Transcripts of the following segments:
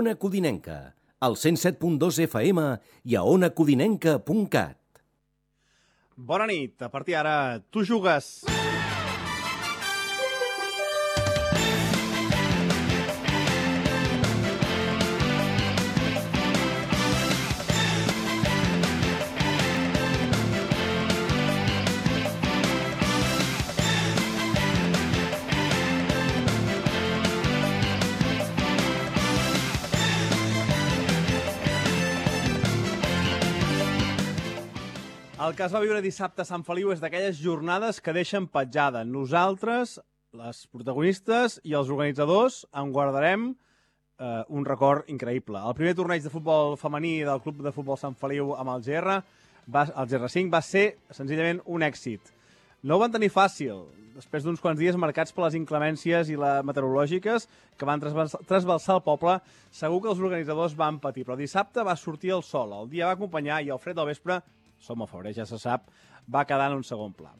Ona Codinenca, al 107.2 FM i a onacodinenca.cat. Bona nit, a partir d'ara tu jugues. El que es va viure dissabte a Sant Feliu és d'aquelles jornades que deixen petjada. Nosaltres, les protagonistes i els organitzadors, en guardarem un record increïble. El primer torneig de futbol femení del Club de Futbol Sant Feliu amb el GR5, va ser senzillament un èxit. No ho van tenir fàcil, després d'uns quants dies marcats per les inclemències i les meteorològiques que van trasbalsar el poble. Segur que els organitzadors van patir, però dissabte va sortir el sol, el dia va acompanyar i el fred del vespre, som a febrer, ja se sap, va quedar en un segon pla.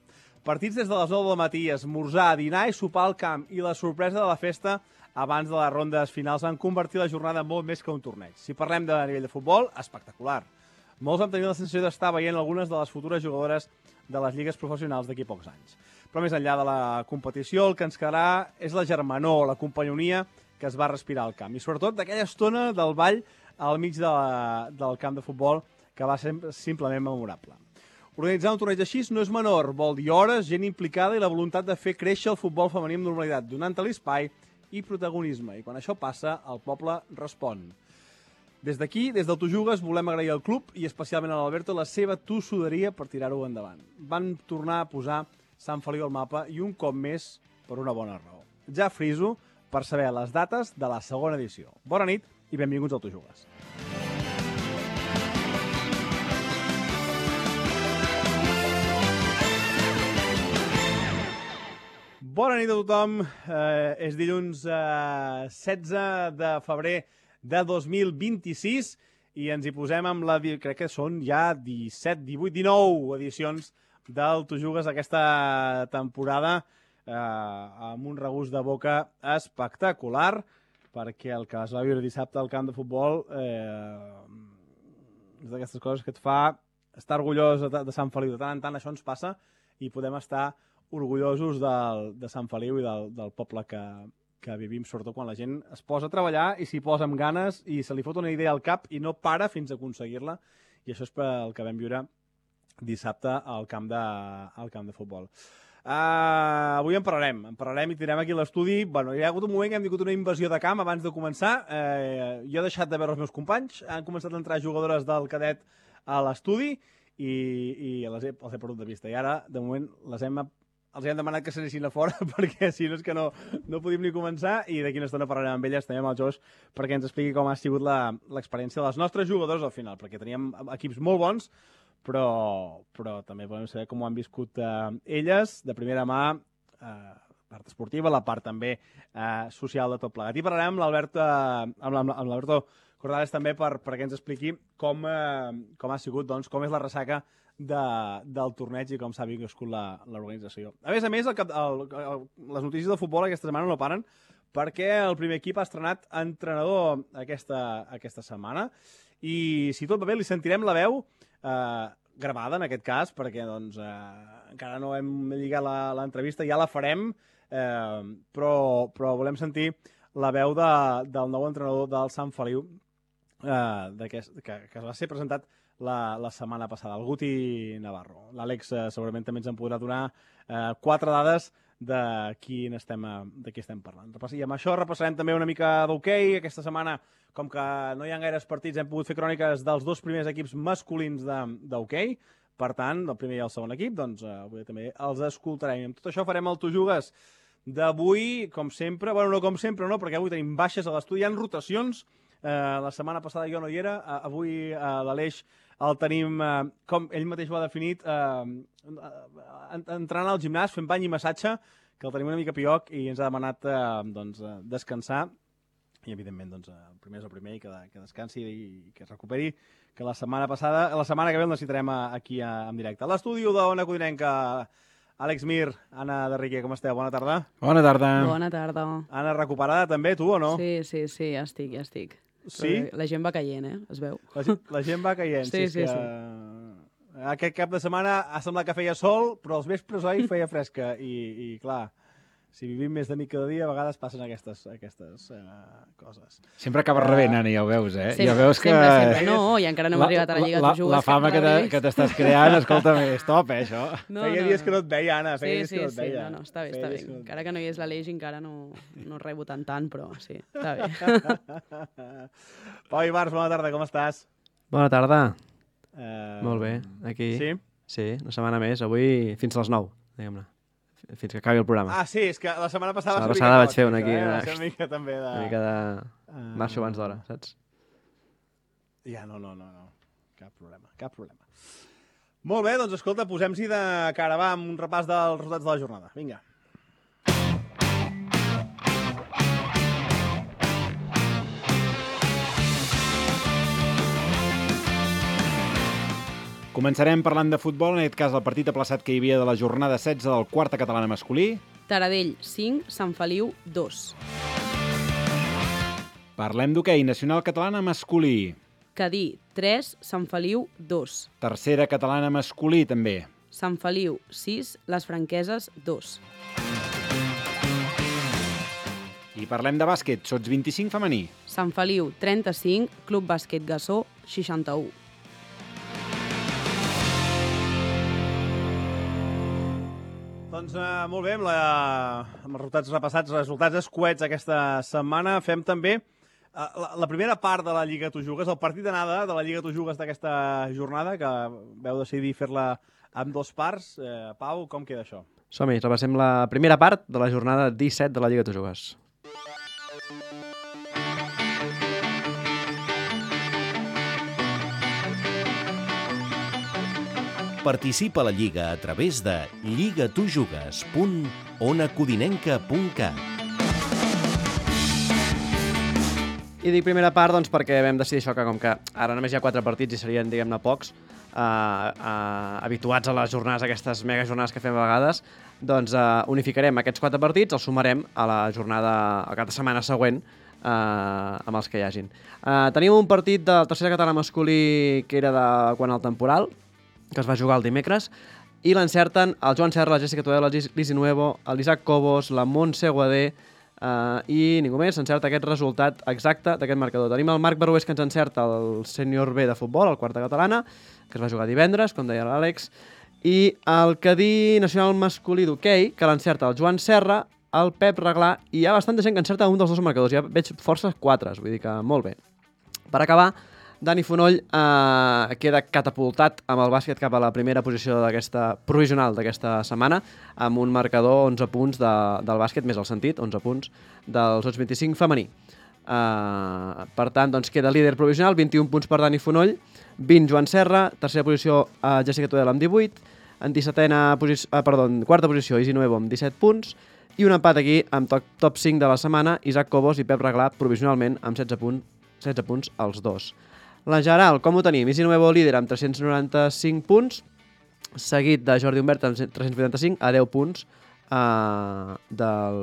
Partits des de les 9 del matí, esmorzar, dinar i sopar al camp i la sorpresa de la festa abans de les rondes finals van convertir la jornada molt més que un torneig. Si parlem de nivell de futbol, espectacular. Molts vam tenir la sensació d'estar veient algunes de les futures jugadores de les lligues professionals d'aquí pocs anys. Però més enllà de la competició, el que ens quedarà és la germanor, la companyonia que es va respirar al camp. I sobretot d'aquella estona del ball al mig del camp de futbol que va ser simplement memorable. Organitzar un torneig així no és menor, vol dir hores, gent implicada i la voluntat de fer créixer el futbol femení amb normalitat, donant-te l'espai i protagonisme. I quan això passa, el poble respon. Des d'aquí, des del Tu Jugues, volem agrair al club i especialment a l'Alberto la seva tossuderia per tirar-ho endavant. Van tornar a posar Sant Feliu al mapa i un cop més per una bona raó. Ja friso per saber les dates de la segona edició. Bona nit i benvinguts al Tu Jugues. Bona nit a tothom. És dilluns 16 de febrer de 2026 i ens hi posem amb crec que són ja 17, 18, 19 edicions del Tu Jugues aquesta temporada amb un regust de boca espectacular perquè el que es va viure dissabte al camp de futbol és d'aquestes coses que et fa estar orgullós de Sant Feliu. De tant en tant això ens passa i podem estar orgullosos de Sant Feliu i del poble que vivim, sobretot quan la gent es posa a treballar i s'hi posa amb ganes i se li fot una idea al cap i no para fins a aconseguir-la. I això és el que vam viure dissabte al camp de futbol. Avui en parlarem i tirem aquí a l'estudi. Bueno, hi ha hagut un moment que hem tingut una invasió de camp abans de començar. Jo he deixat de veure els meus companys, han començat a entrar jugadores del cadet a l'estudi i els he perdut de vista. I ara, de moment, els hem demanat que s'anessin a fora perquè si no és que no podíem ni començar i d'aquí una estona parlarem amb elles, també amb el Josh, perquè ens expliqui com ha sigut l'experiència de les nostres jugadors al final, perquè teníem equips molt bons, però també volem saber com ho han viscut elles, de primera mà, la part esportiva, la part també social de tot plegat. I parlarem amb l'Alberto Cordales també perquè ens expliqui com ha sigut, doncs, com és la ressaca del torneig i com s'ha viscut l'organització. A més, les notícies del futbol aquesta setmana no paren perquè el primer equip ha estrenat entrenador aquesta setmana i si tot va bé li sentirem la veu gravada en aquest cas perquè doncs, encara no hem lligat l'entrevista, ja la farem, però volem sentir la veu del nou entrenador del Sant Feliu que es va ser presentat la setmana passada, el Guti Navarro. L'Àlex segurament també ens en podrà donar 4 dades de qui estem parlant. I amb això repassarem també una mica d'hoquei. Aquesta setmana, com que no hi ha gaires partits, hem pogut fer cròniques dels 2 primers equips masculins d'hoquei. Per tant, el primer i el segon equip, doncs avui també els escoltarem. I amb tot això farem el Tu Jugues d'avui, com sempre. Bueno, no com sempre, no, perquè avui tenim baixes a l'estudi, hi ha rotacions. La setmana passada jo no hi era, avui l'Aleix el tenim, com ell mateix ho ha definit, entrant al gimnàs, fent bany i massatge, que el tenim una mica pioc i ens ha demanat descansar i evidentment el primer és el primer i que descansi i que es recuperi, que la setmana que ve el necessitarem aquí en directe. A l'estudi d'Ona Codinenca, Àlex Mir, Anna de Riquer, com esteu? Bona tarda. Bona tarda. Bona tarda. Anna, recuperada també, tu o no? Sí, ja estic. Sí? La gent va caient, es veu. La gent va caient. Sí. Aquest cap de setmana ha semblat que feia sol, però els vespres, oi, feia fresca. I clar, si vivim més de nit cada dia, a vegades passen aquestes coses. Sempre acabes rebent, Ani, ja ho veus, eh? Sempre, ja veus que... sempre. No, i encara no hem arribat a la Lliga Tu Jugues. La fama que t'estàs creant, escolta'm, és top, això. Feia dies que no et veia, Anna, feia dies que no et veia. No, està bé. Encara que no hi és l'Aleix, encara no rebo tant, però sí, està bé. Pau Ibarz, bona tarda, com estàs? Bona tarda. Molt bé, aquí. Sí? Sí, una setmana més, avui fins a les 9, diguem-ne. Fins que acabi el programa. Ah, sí, és que la setmana passada... La passada vaig fer una aquí. Una mica també de... Una mica de... marxo abans d'hora, saps? Ja, no. Cap problema. Molt bé, doncs escolta, posem-s'hi de cara, va, amb un repàs dels resultats de la jornada. Vinga. Començarem parlant de futbol, en aquest cas el partit aplaçat que hi havia de la jornada 16 del quarta catalana masculí. Taradell, 5, Sant Feliu, 2. Parlem d'hoquei, nacional catalana masculí. Cadí, 3, Sant Feliu, 2. Tercera catalana masculí, també. Sant Feliu, 6, Les Franqueses, 2. I parlem de bàsquet, sots 25 femení. Sant Feliu, 35, Club Bàsquet Gassó, 61. Doncs molt bé, amb els resultats repassats, resultats escuets aquesta setmana, fem també la primera part de la Lliga Tu Jugues, el partit d'anada de la Lliga Tu Jugues d'aquesta jornada, que vau decidir fer-la amb 2 parts. Pau, com queda això? Som-hi, repassem la primera part de la jornada 17 de la Lliga Tu Jugues. Participa a la Lliga a través de lligatujugues.onacodinenca.cat. I dic primera part doncs, perquè vam decidir això, que com que ara només hi ha 4 partits i serien, diguem-ne, pocs, habituats a les jornades, aquestes mega jornades que fem a vegades, doncs unificarem aquests 4 partits, els sumarem a la jornada, a cada setmana següent, amb els que hi hagin. Tenim un partit del tercer català masculí que era de quan el temporal, que es va jugar el dimecres, i l'encerten el Joan Serra, la Jessica Tudela, l'Isi Nuevo, l'Isaac Cobos, la Montse Guadé, i ningú més encerta aquest resultat exacte d'aquest marcador. Tenim el Marc Barués, que ens encerta el sènior B de futbol, el quarta catalana, que es va jugar divendres, com deia l'Àlex, i el Cadí nacional masculí d'hoquei, que l'encerta el Joan Serra, el Pep Reglà, i hi ha bastanta gent que encerta un dels 2 marcadors. Ja veig forces 4, vull dir que molt bé. Per acabar, Dani Fonoll queda catapultat amb el bàsquet cap a la primera posició d'aquesta provisional d'aquesta setmana, amb un marcador 11 punts del bàsquet, més el sentit, 11 punts dels 25 femení. Per tant, doncs, queda líder provisional, 21 punts per Dani Fonoll, 20 Joan Serra, tercera posició Jessica Tudela amb 18, en quarta posició Isi Nuevo amb 17 punts, i un empat aquí amb top 5 de la setmana, Isaac Cobos i Pep Reglà provisionalment amb 16 punts els dos. La general, com ho tenim? Isi Nuevo líder amb 395 punts, seguit de Jordi Humbert amb 385, a 10 punts del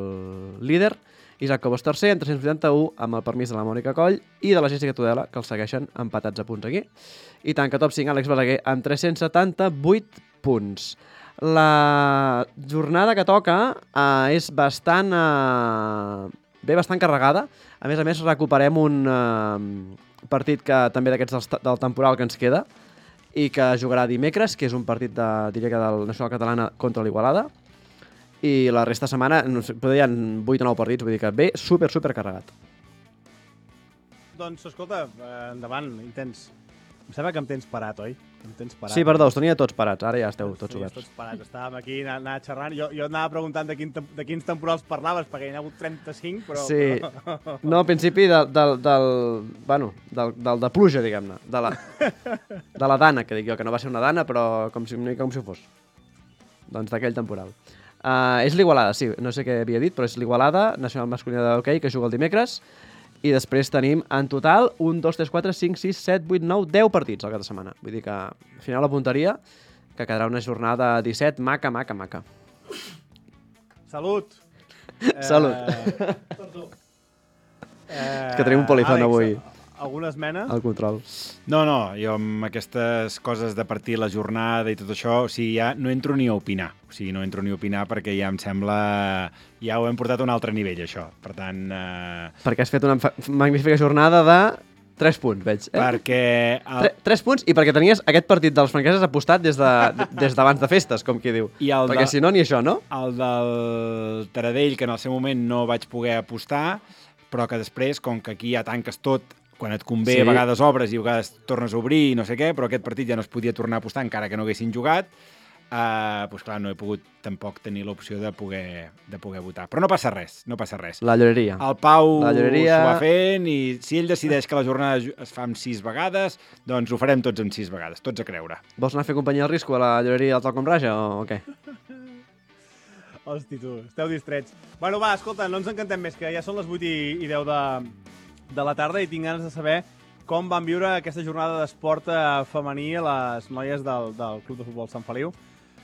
líder. Isaac Cobos tercer amb 381, amb el permís de la Mònica Coll, i de la Jessica Tudela, que els segueixen empatats a punts aquí. I tanca top 5 Àlex Balaguer amb 378 punts. La jornada que toca és bastant carregada. A més, recuperem un partit que també d'aquests del temporal que ens queda i que jugarà dimecres, que és un partit diria que del Nacional Catalana contra l'Igualada, i la resta de setmana hi ha 8 o 9 partits, vull dir que ve super carregat. Doncs escolta, endavant, intens. Em sembla que em tens parat, oi? Sí, perdó, us tenia tots parats, ara ja esteu tots oberts. Tots parats, estàvem aquí anant xerrant, jo anava preguntant de quins temporals parlaves, perquè hi ha hagut 35, però... Sí, no, al principi del de pluja, diguem-ne, de la dana, que dic jo, que no va ser una dana, però com si ho fos. Doncs d'aquell temporal. És l'Igualada, sí, no sé què havia dit, però és l'Igualada, nacional masculina d'hoquei, que juga el dimecres, i després tenim en total 1, 2, 3, 4, 5, 6, 7, 8, 9, 10 partits al cap de setmana. Vull dir que al final la punteria, que quedarà una jornada 17 maca. Salut! Salut! És que tenim un polizón avui. alguna esmena? El control. No, jo amb aquestes coses de partir la jornada i tot això, o sigui, ja no entro ni a opinar. O sigui, no entro ni a opinar perquè ja em sembla... Ja ho hem portat a un altre nivell, això. Per tant... Perquè has fet una magnífica jornada de 3 punts, veig. Perquè... 3 punts i perquè tenies aquest partit dels franqueses apostat des d'abans de festes, com qui diu. Perquè si no, ni això, no? El del Taradell, que en el seu moment no vaig poder apostar, però que després, com que aquí ja tanques tot, quan et convé, a vegades obres i a vegades tornes a obrir i no sé què, però aquest partit ja no es podia tornar a apostar encara que no haguessin jugat, doncs clar, no he pogut tampoc tenir l'opció de poder votar. Però no passa res, no passa res. La lloreria. El Pau s'ho va fent i si ell decideix que la jornada es fa amb 6 vegades, doncs ho farem tots amb 6 vegades, tots a creure. Vols anar a fer companyia al risco a la lloreria del Talcom Raja o què? Hosti, tu, esteu distrets. Bueno, va, escolta, no ens encantem més, que ja són les 8 i 10 de la tarda i tinc ganes de saber com van viure aquesta jornada d'esport femení a les noies del Club de Futbol Sant Feliu.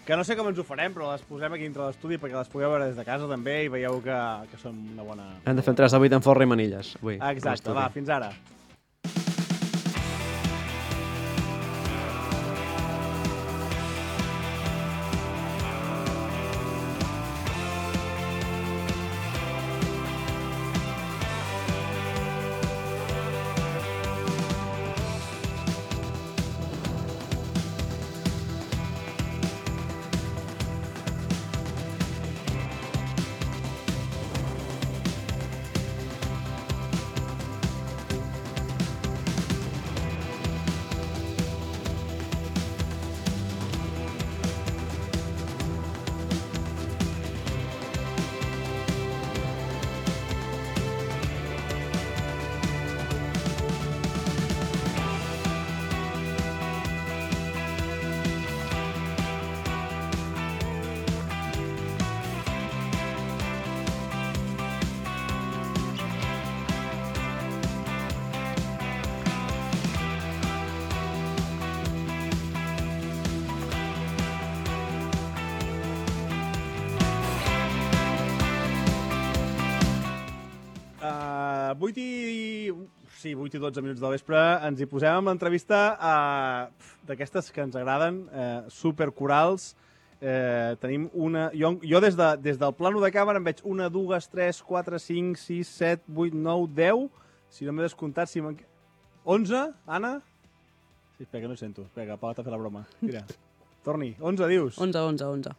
Que no sé com ens ho farem, però les posem aquí dintre l'estudi perquè les pugueu veure des de casa també i veieu que són una bona... Hem de fer un 3 de 8 en forra i manilles avui. Exacte, va, fins ara. Sí, 8 i 12 minuts del vespre, ens hi posem amb l'entrevista d'aquestes que ens agraden, supercorals. Tenim una... Jo des del plano de càmera em veig 1, 2, 3, 4, 5, 6, 7, 8, 9, 10... Si no m'he descomptat, 11, Anna? Sí, espera, que no sento. Espera, que Pau t'ha fet la broma. Mira, torni. 11, dius? 11.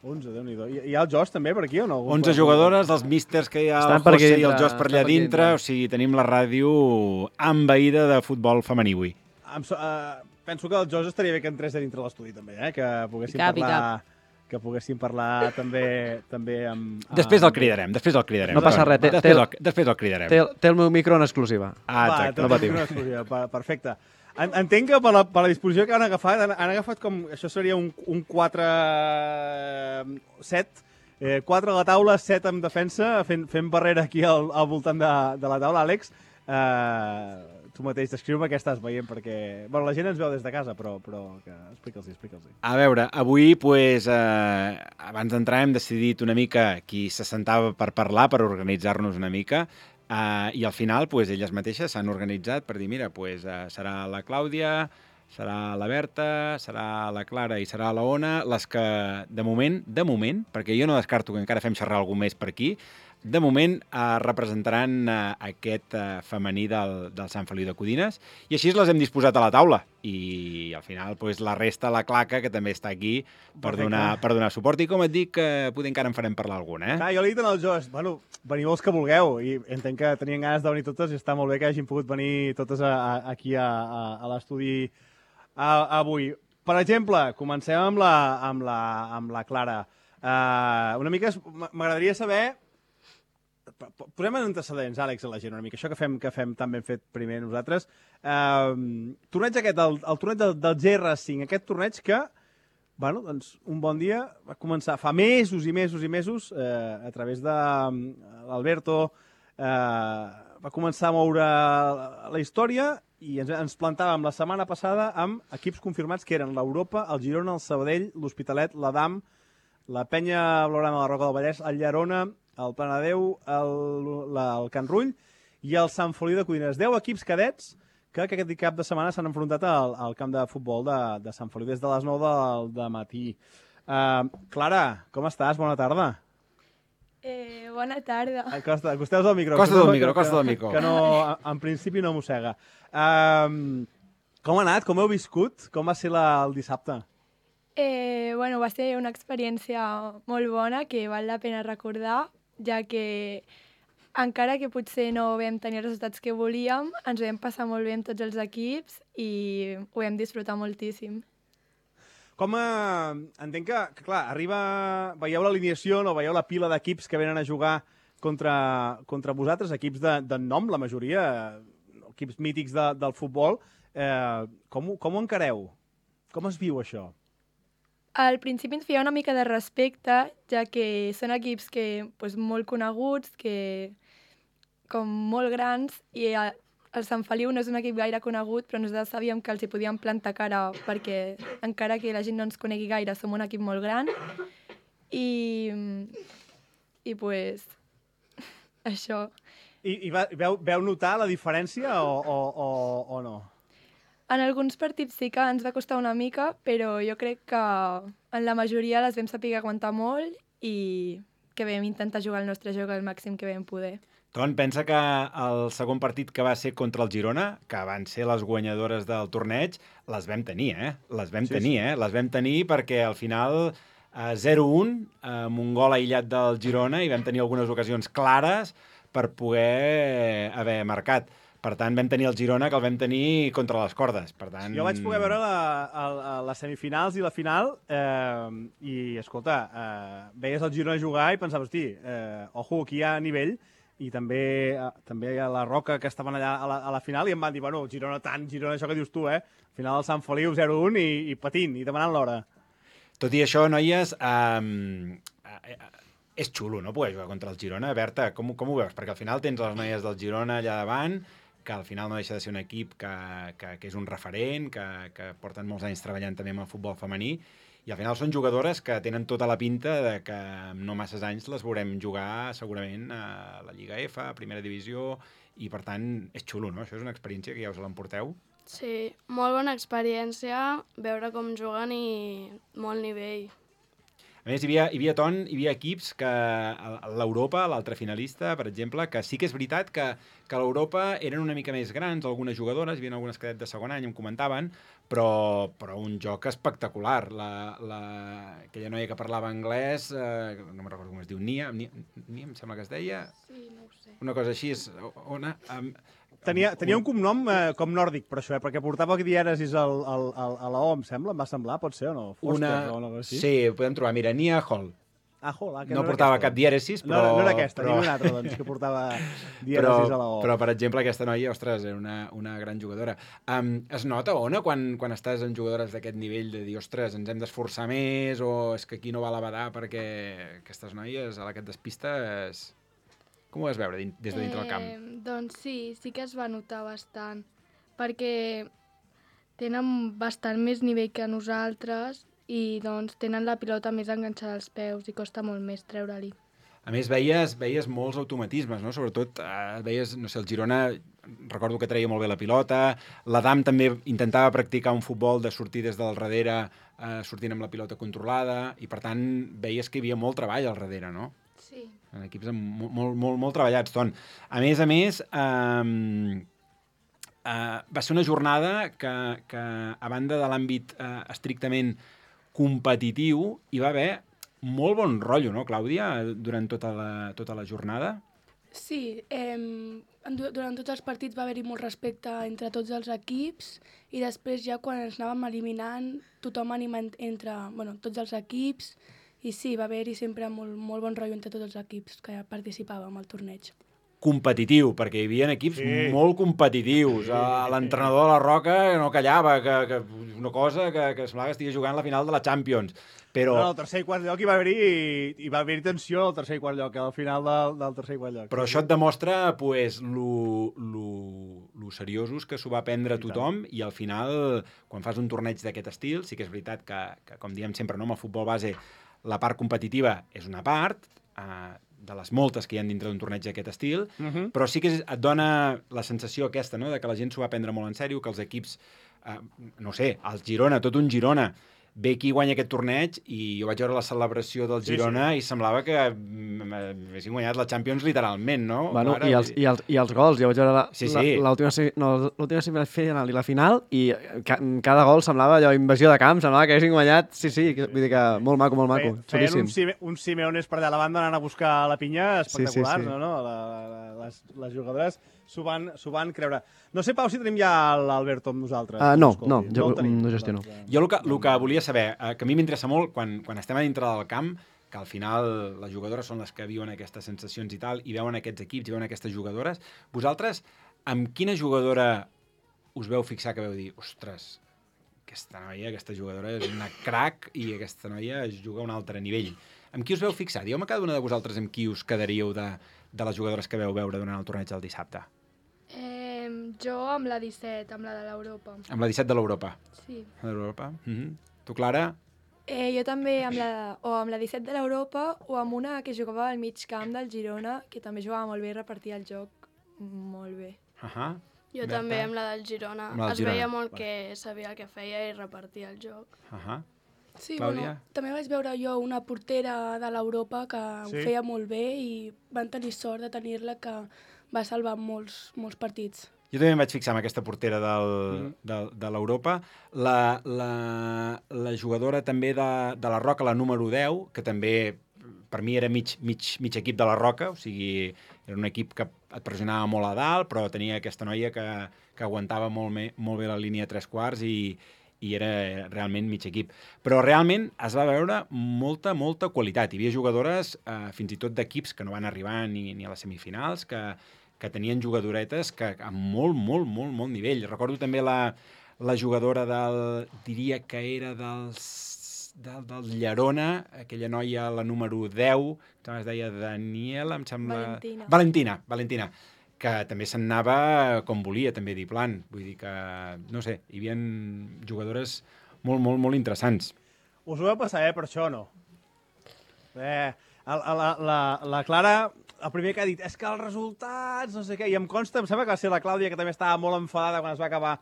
11, Déu-n'hi-do. Hi ha el Josh també per aquí o no? 11 jugadores, els místers que hi ha, el José i el Josh per allà dintre. O sigui, tenim la ràdio envaïda de futbol femení avui. Penso que el Josh estaria bé que entrés a dintre l'estudi també, que poguéssim parlar... que poguéssim parlar també amb... Després el cridarem. No passa res. Després el cridarem. Té el meu micro en exclusiva. Exacte. No patim. Perfecte. Entenc que per la disposició que han agafat com... Això seria un 4-7. 4 a la taula, 7 en defensa, fent barrera aquí al voltant de la taula. Àlex, tu mateix descriu-me què estàs veient, perquè... Bueno, la gent ens veu des de casa, però explica'ls-hi. A veure, avui, abans d'entrar hem decidit una mica qui se sentava per parlar, per organitzar-nos una mica, i al final, elles mateixes s'han organitzat per dir, mira, serà la Clàudia, serà la Berta, serà la Clara i serà la Ona, les que, de moment, perquè jo no descarto que encara fem xerrar algú més per aquí, de moment representaran aquest femení del Sant Feliu de Codines i així les hem disposat a la taula i al final la resta, la claca, que també està aquí per donar suport i com et dic, potser encara en farem parlar alguna. Jo li he dit al Josh, veniu els que vulgueu i entenc que tenien ganes de venir totes i està molt bé que hagin pogut venir totes aquí a l'estudi avui. Per exemple, comencem amb la Clara. Una mica m'agradaria saber... Posem en antecedents, Àlex, a la gent una mica. Això que fem tan ben fet primer nosaltres. Torneig aquest, el torneig del GR5, aquest torneig que, doncs, un bon dia va començar fa mesos i mesos, a través de l'Alberto, va començar a moure la història i ens plantàvem la setmana passada amb equips confirmats que eren l'Europa, el Girona, el Sabadell, l'Hospitalet, l'Adam, la Penya Blaugrana de la Roca del Vallès, el Llerona, el Planadeu, el Can Rull i el Sant Feliu de Codines. 10 equips cadets que aquest cap de setmana s'han enfrontat al camp de futbol de Sant Feliu des de les 9 del matí. Clara, com estàs? Bona tarda. Bona tarda. Acosteu del micro. Costa del micro. Que no, en principi no mossega. Com ha anat? Com heu viscut? Com va ser el dissabte? Va ser una experiència molt bona que val la pena recordar, ja que encara que potser no vam tenir els resultats que volíem, ens ho vam passar molt bé amb tots els equips i ho vam disfrutar moltíssim. Entenc que, clar, veieu l'alineació, no? Veieu la pila d'equips que venen a jugar contra vosaltres, equips de nom, la majoria, equips mítics del futbol. Com ho encareu? Com es viu això? Al principi ens feia una mica de respecte, ja que són equips molt coneguts, com molt grans, i el Sant Feliu no és un equip gaire conegut, però nosaltres sabíem que els hi podíem plantar cara, perquè encara que la gent no ens conegui gaire, som un equip molt gran. I això. I veu notar la diferència o no? En alguns partits sí que ens va costar una mica, però jo crec que en la majoria les vam saber aguantar molt i que vam intentar jugar el nostre joc al màxim que vam poder. Ton, pensa que el segon partit que va ser contra el Girona, que van ser les guanyadores del torneig, les vam tenir, Les vam tenir perquè al final 0-1, amb un gol aïllat del Girona, i vam tenir algunes ocasions clares per poder haver marcat. Per tant, vam tenir el Girona, que el vam tenir contra les cordes. Per tant... Jo vaig poder veure les semifinals i la final i, escolta, veies el Girona jugar i pensaves, hosti, ojo, aquí hi ha nivell, i també a la Roca, que estaven allà a la final, i em van dir, bueno, Girona tant, Girona, això que dius tu, al final el Sant Feliu 0-1 i patint, i demanant l'hora. Tot i això, noies, és xulo, no?, poder jugar contra el Girona. Berta, com ho veus? Perquè al final tens les noies del Girona allà davant, que al final no deixa de ser un equip que és un referent, que porten molts anys treballant també amb el futbol femení, i al final són jugadores que tenen tota la pinta de que en no masses anys les veurem jugar segurament a la Lliga F, a Primera Divisió, i per tant és xulo, no? Això és una experiència que ja us l'emporteu. Sí, molt bona experiència, veure com juguen i molt nivell. A més, hi havia equips que l'Europa, l'altre finalista, per exemple, que sí que és veritat que l'Europa eren una mica més grans, algunes jugadores, hi havia algunes cadet de segon any, em comentaven, però un joc espectacular. Aquella noia que parlava anglès, no me'n recordo com es diu, Nia, em sembla que es deia? Sí, no ho sé. Una cosa així, Ona... Tenia un cognom com nòrdic, per això, perquè portava dièresis a la O, em sembla, em va semblar, pot ser o no? Foster, o una cosa així? Sí, ho podem trobar, mira, Nia Hall. Que no portava cap dièresis, però... No era aquesta, ni una altra, doncs, que portava dièresis a la O. Però, per exemple, aquesta noia, ostres, era una gran jugadora. Es nota, Ona, quan estàs amb jugadores d'aquest nivell, de dir, ostres, ens hem d'esforçar més, o és que aquí no val a badar perquè aquestes noies, a la que et despistes... Com ho vas veure des de dintre del camp? Doncs sí que es va notar bastant, perquè tenen bastant més nivell que nosaltres i doncs tenen la pilota més enganxada als peus i costa molt més treure-li. A més, veies molts automatismes, no? Sobretot veies, no sé, el Girona, recordo que treia molt bé la pilota, l'Adam també intentava practicar un futbol de sortir des del darrere, sortint amb la pilota controlada, i per tant veies que hi havia molt treball al darrere, no? Sí. En equips molt treballats, Ton. A més, va ser una jornada que a banda de l'àmbit estrictament competitiu, hi va haver molt bon rotllo, no, Clàudia, durant tota la jornada? Sí, durant tots els partits va haver-hi molt respecte entre tots els equips i després ja quan ens anàvem eliminant tothom anima entre tots els equips. I sí, va haver-hi sempre molt bon rotllo entre tots els equips que participàvem al torneig. Competitiu, perquè hi havia equips molt competitius. L'entrenador de la Roca no callava, que una cosa que semblava que estigui jugant la final de la Champions. Però... al tercer i quart lloc hi va haver-hi tensió al tercer i quart lloc, al final del tercer i quart lloc. Però això et demostra lo seriosos que s'ho va prendre tothom, i al final, quan fas un torneig d'aquest estil, sí que és veritat que com diem sempre, no, amb el futbol base, la part competitiva és una part, de les moltes que hi ha dintre d'un torneig d'aquest estil, però sí que et dona la sensació aquesta, no?, de que la gent s'ho va prendre molt en sèrio, que els equips, no sé, el Girona, tot un Girona, ve aquí i guanya aquest torneig i jo vaig veure la celebració del Girona i semblava que haguessin guanyat la Champions literalment, no? Bueno, i els gols, jo vaig veure l'última semifinal i la final i cada gol semblava allò, invasió de camp, semblava que haguessin guanyat, sí, vull dir que molt maco, xulíssim. Feien uns Simeones per allà a la banda anant a buscar la pinya espectacular, no? Les jugadores s'ho van creure. No sé, Pau, si tenim ja l'Alberto amb nosaltres. No, jo no gestiono. Jo el que volia saber, que a mi m'interessa molt, quan estem a dintre del camp, que al final les jugadores són les que viuen aquestes sensacions i tal, i veuen aquests equips, i veuen aquestes jugadores, vosaltres, amb quina jugadora us veu fixar que veu dir, ostres, aquesta jugadora és una crack i aquesta noia es juga a un altre nivell. Amb qui us veu fixar? Dieu-me cada una de vosaltres amb qui us quedaríeu de les jugadores que veu veure durant el torneig del dissabte. Jo amb la 17, amb la de l'Europa. Amb la 17 de l'Europa? Sí. De l'Europa? Tu, Clara? Jo també amb la 17 de l'Europa o amb una que jugava al mig camp del Girona, que també jugava molt bé i repartia el joc molt bé. Jo també amb la del Girona. Es veia molt que sabia el que feia i repartia el joc. Sí, bueno, també vaig veure jo una portera de l'Europa que ho feia molt bé i van tenir sort de tenir-la, que va salvar molts partits. Jo també em vaig fixar en aquesta portera de l'Europa. La jugadora també de la Roca, la número 10, que també per mi era mig equip de la Roca, o sigui, era un equip que et pressionava molt a dalt, però tenia aquesta noia que aguantava molt bé la línia 3/4 i era realment mig equip. Però realment es va veure molta qualitat. Hi havia jugadores, fins i tot d'equips que no van arribar ni a les semifinals, que tenien jugadoretes amb molt nivell. Recordo també la jugadora diria que era del Llerona, aquella noia, la número 10, que es deia Daniela, em sembla... Valentina, que també se'n anava com volia, també diplant. Vull dir que, no sé, hi havia jugadores molt interessants. Us ho vau passar, per això, no? La Clara, el primer que ha dit, és que els resultats, no sé què, i em consta, em sembla que va ser la Clàudia, que també estava molt enfadada quan es va acabar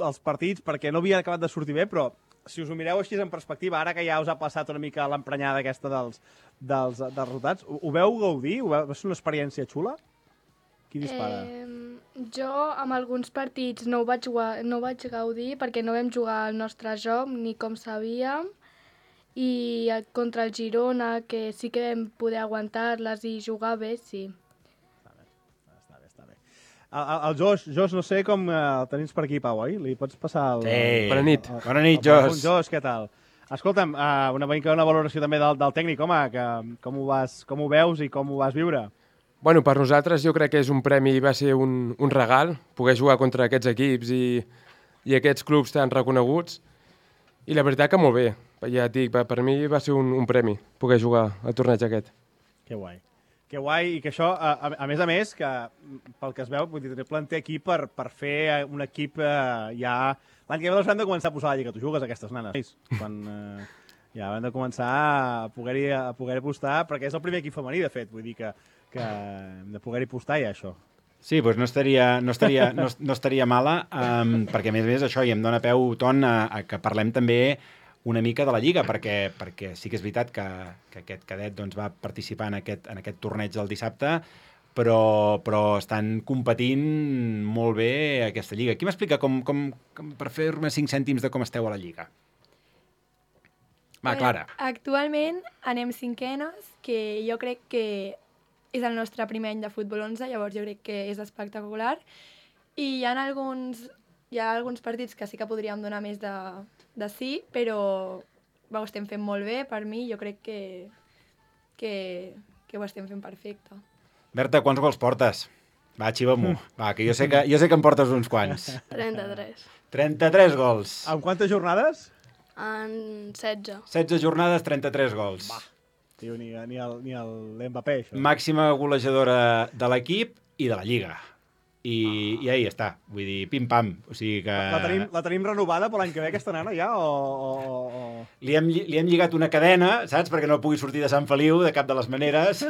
els partits, perquè no havia acabat de sortir bé, però si us ho mireu així en perspectiva, ara que ja us ha passat una mica l'emprenyada aquesta dels resultats, ho veu gaudir? Va ser una experiència xula? Qui dispara? Jo amb alguns partits no ho vaig gaudir perquè no vam jugar el nostre joc ni com sabíem, i contra el Girona, que sí que vam poder aguantar-les i jugar bé, sí. Està bé. El Josh, no sé com el tenim per aquí, Pau, oi? Li pots passar el... Sí. Bona nit. Bona nit, Josh. Josh, què tal? Escolta'm, una valoració també del tècnic, home, que com ho veus i com ho vas viure? Bueno, per nosaltres jo crec que és un premi, va ser un regal, poder jugar contra aquests equips i aquests clubs tan reconeguts, i la veritat que molt bé. Ja et dic, per mi va ser un premi poder jugar al torneig aquest. Que guai, i que això, a més, que pel que es veu, vull dir, planter aquí per fer un equip ja... L'any que ve les hem de començar a posar a la lliga, tu jugues aquestes nanes. Quan ja hem de començar a poder apostar, perquè és el primer equip femení, de fet, vull dir que hem de poder-hi apostar ja, això. Sí, doncs no estaria mala, perquè a més això i em dona peu, Ton, a que parlem també una mica de la Lliga, perquè sí que és veritat que aquest cadet va participar en aquest torneig del dissabte, però estan competint molt bé aquesta Lliga. Qui m'explica per fer-me 5 cèntims de com esteu a la Lliga? Va, Clara. Actualment anem 5enes, que jo crec que és el nostre primer any de futbol 11, llavors jo crec que és espectacular. I hi ha alguns partits que sí que podríem donar més de sí, però ho estem fent molt bé, per mi, jo crec que ho estem fent perfecte. Berta, quants gols portes? Va, xiva-m'ho. Va, que jo sé que em portes uns quants. 33. 33 gols. En quantes jornades? En 16. 16 jornades, 33 gols. Va, tio, ni l'Mbappé, això. Màxima golejadora de l'equip i de la Lliga. i ahí està, vull dir, pim-pam. O sigui que... La tenim renovada per l'any que ve, aquesta nana, ja? O... Li hem lligat una cadena, saps? Perquè no pugui sortir de Sant Feliu de cap de les maneres.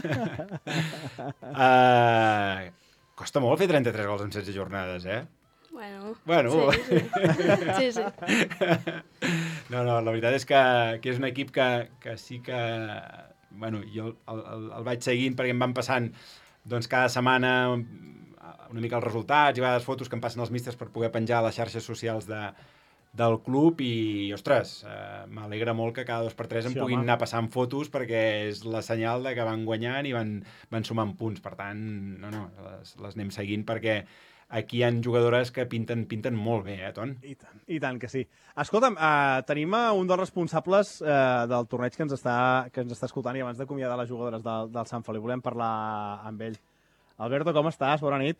Costa molt fer 33 gols en 16 jornades, eh? Bueno. Sí. No, la veritat és que és un equip que sí que... Bueno, jo el vaig seguint perquè em van passant doncs, cada setmana una mica els resultats i a vegades fotos que em passen els místers per poder penjar a les xarxes socials del club i, ostres, m'alegra molt que cada 2x3 em puguin anar passant fotos perquè és la senyal de que van guanyant i van sumant punts. Per tant, les anem seguint perquè aquí hi ha jugadores que pinten molt bé, Ton? I tant que sí. Escolta'm, tenim un dels responsables del torneig que ens està escoltant i abans d'acomiadar les jugadores del Sant Feliu volem parlar amb ell. Alberto, com estàs? Bona nit.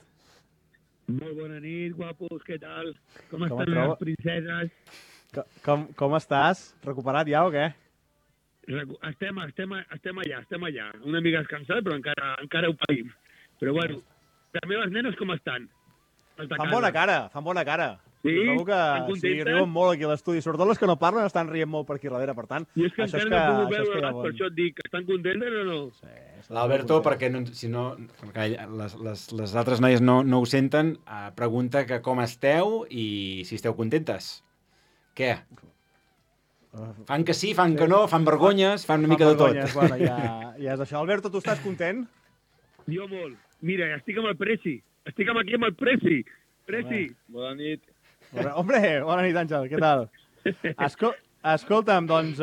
Molt bona nit, guapos, què tal? Com estan les princeses? Com estàs? Recuperat ja o què? Estem allà. Una mica descansat, però encara ho païm. Però bueno, les meves nenes com estan? Fan bona cara. Sí? Trobo que riuen molt aquí a l'estudi. Sobretot les que no parlen estan rient molt per aquí darrere, per tant... I és que encara no puc veure, per això et dic, estan contentes o no? Sí. L'Alberto, perquè si no, les altres noies no ho senten, pregunta que com esteu i si esteu contentes. Què? Fan que sí, fan que no, fan vergonyes, fan una mica de tot. Bueno, ja és això. Alberto, tu estàs content? Jo molt. Mira, estic amb el Preci. Estic aquí amb el Preci. Preci. Bona nit. Hombre, bona nit, Àngel, què tal? Escolta'm, doncs,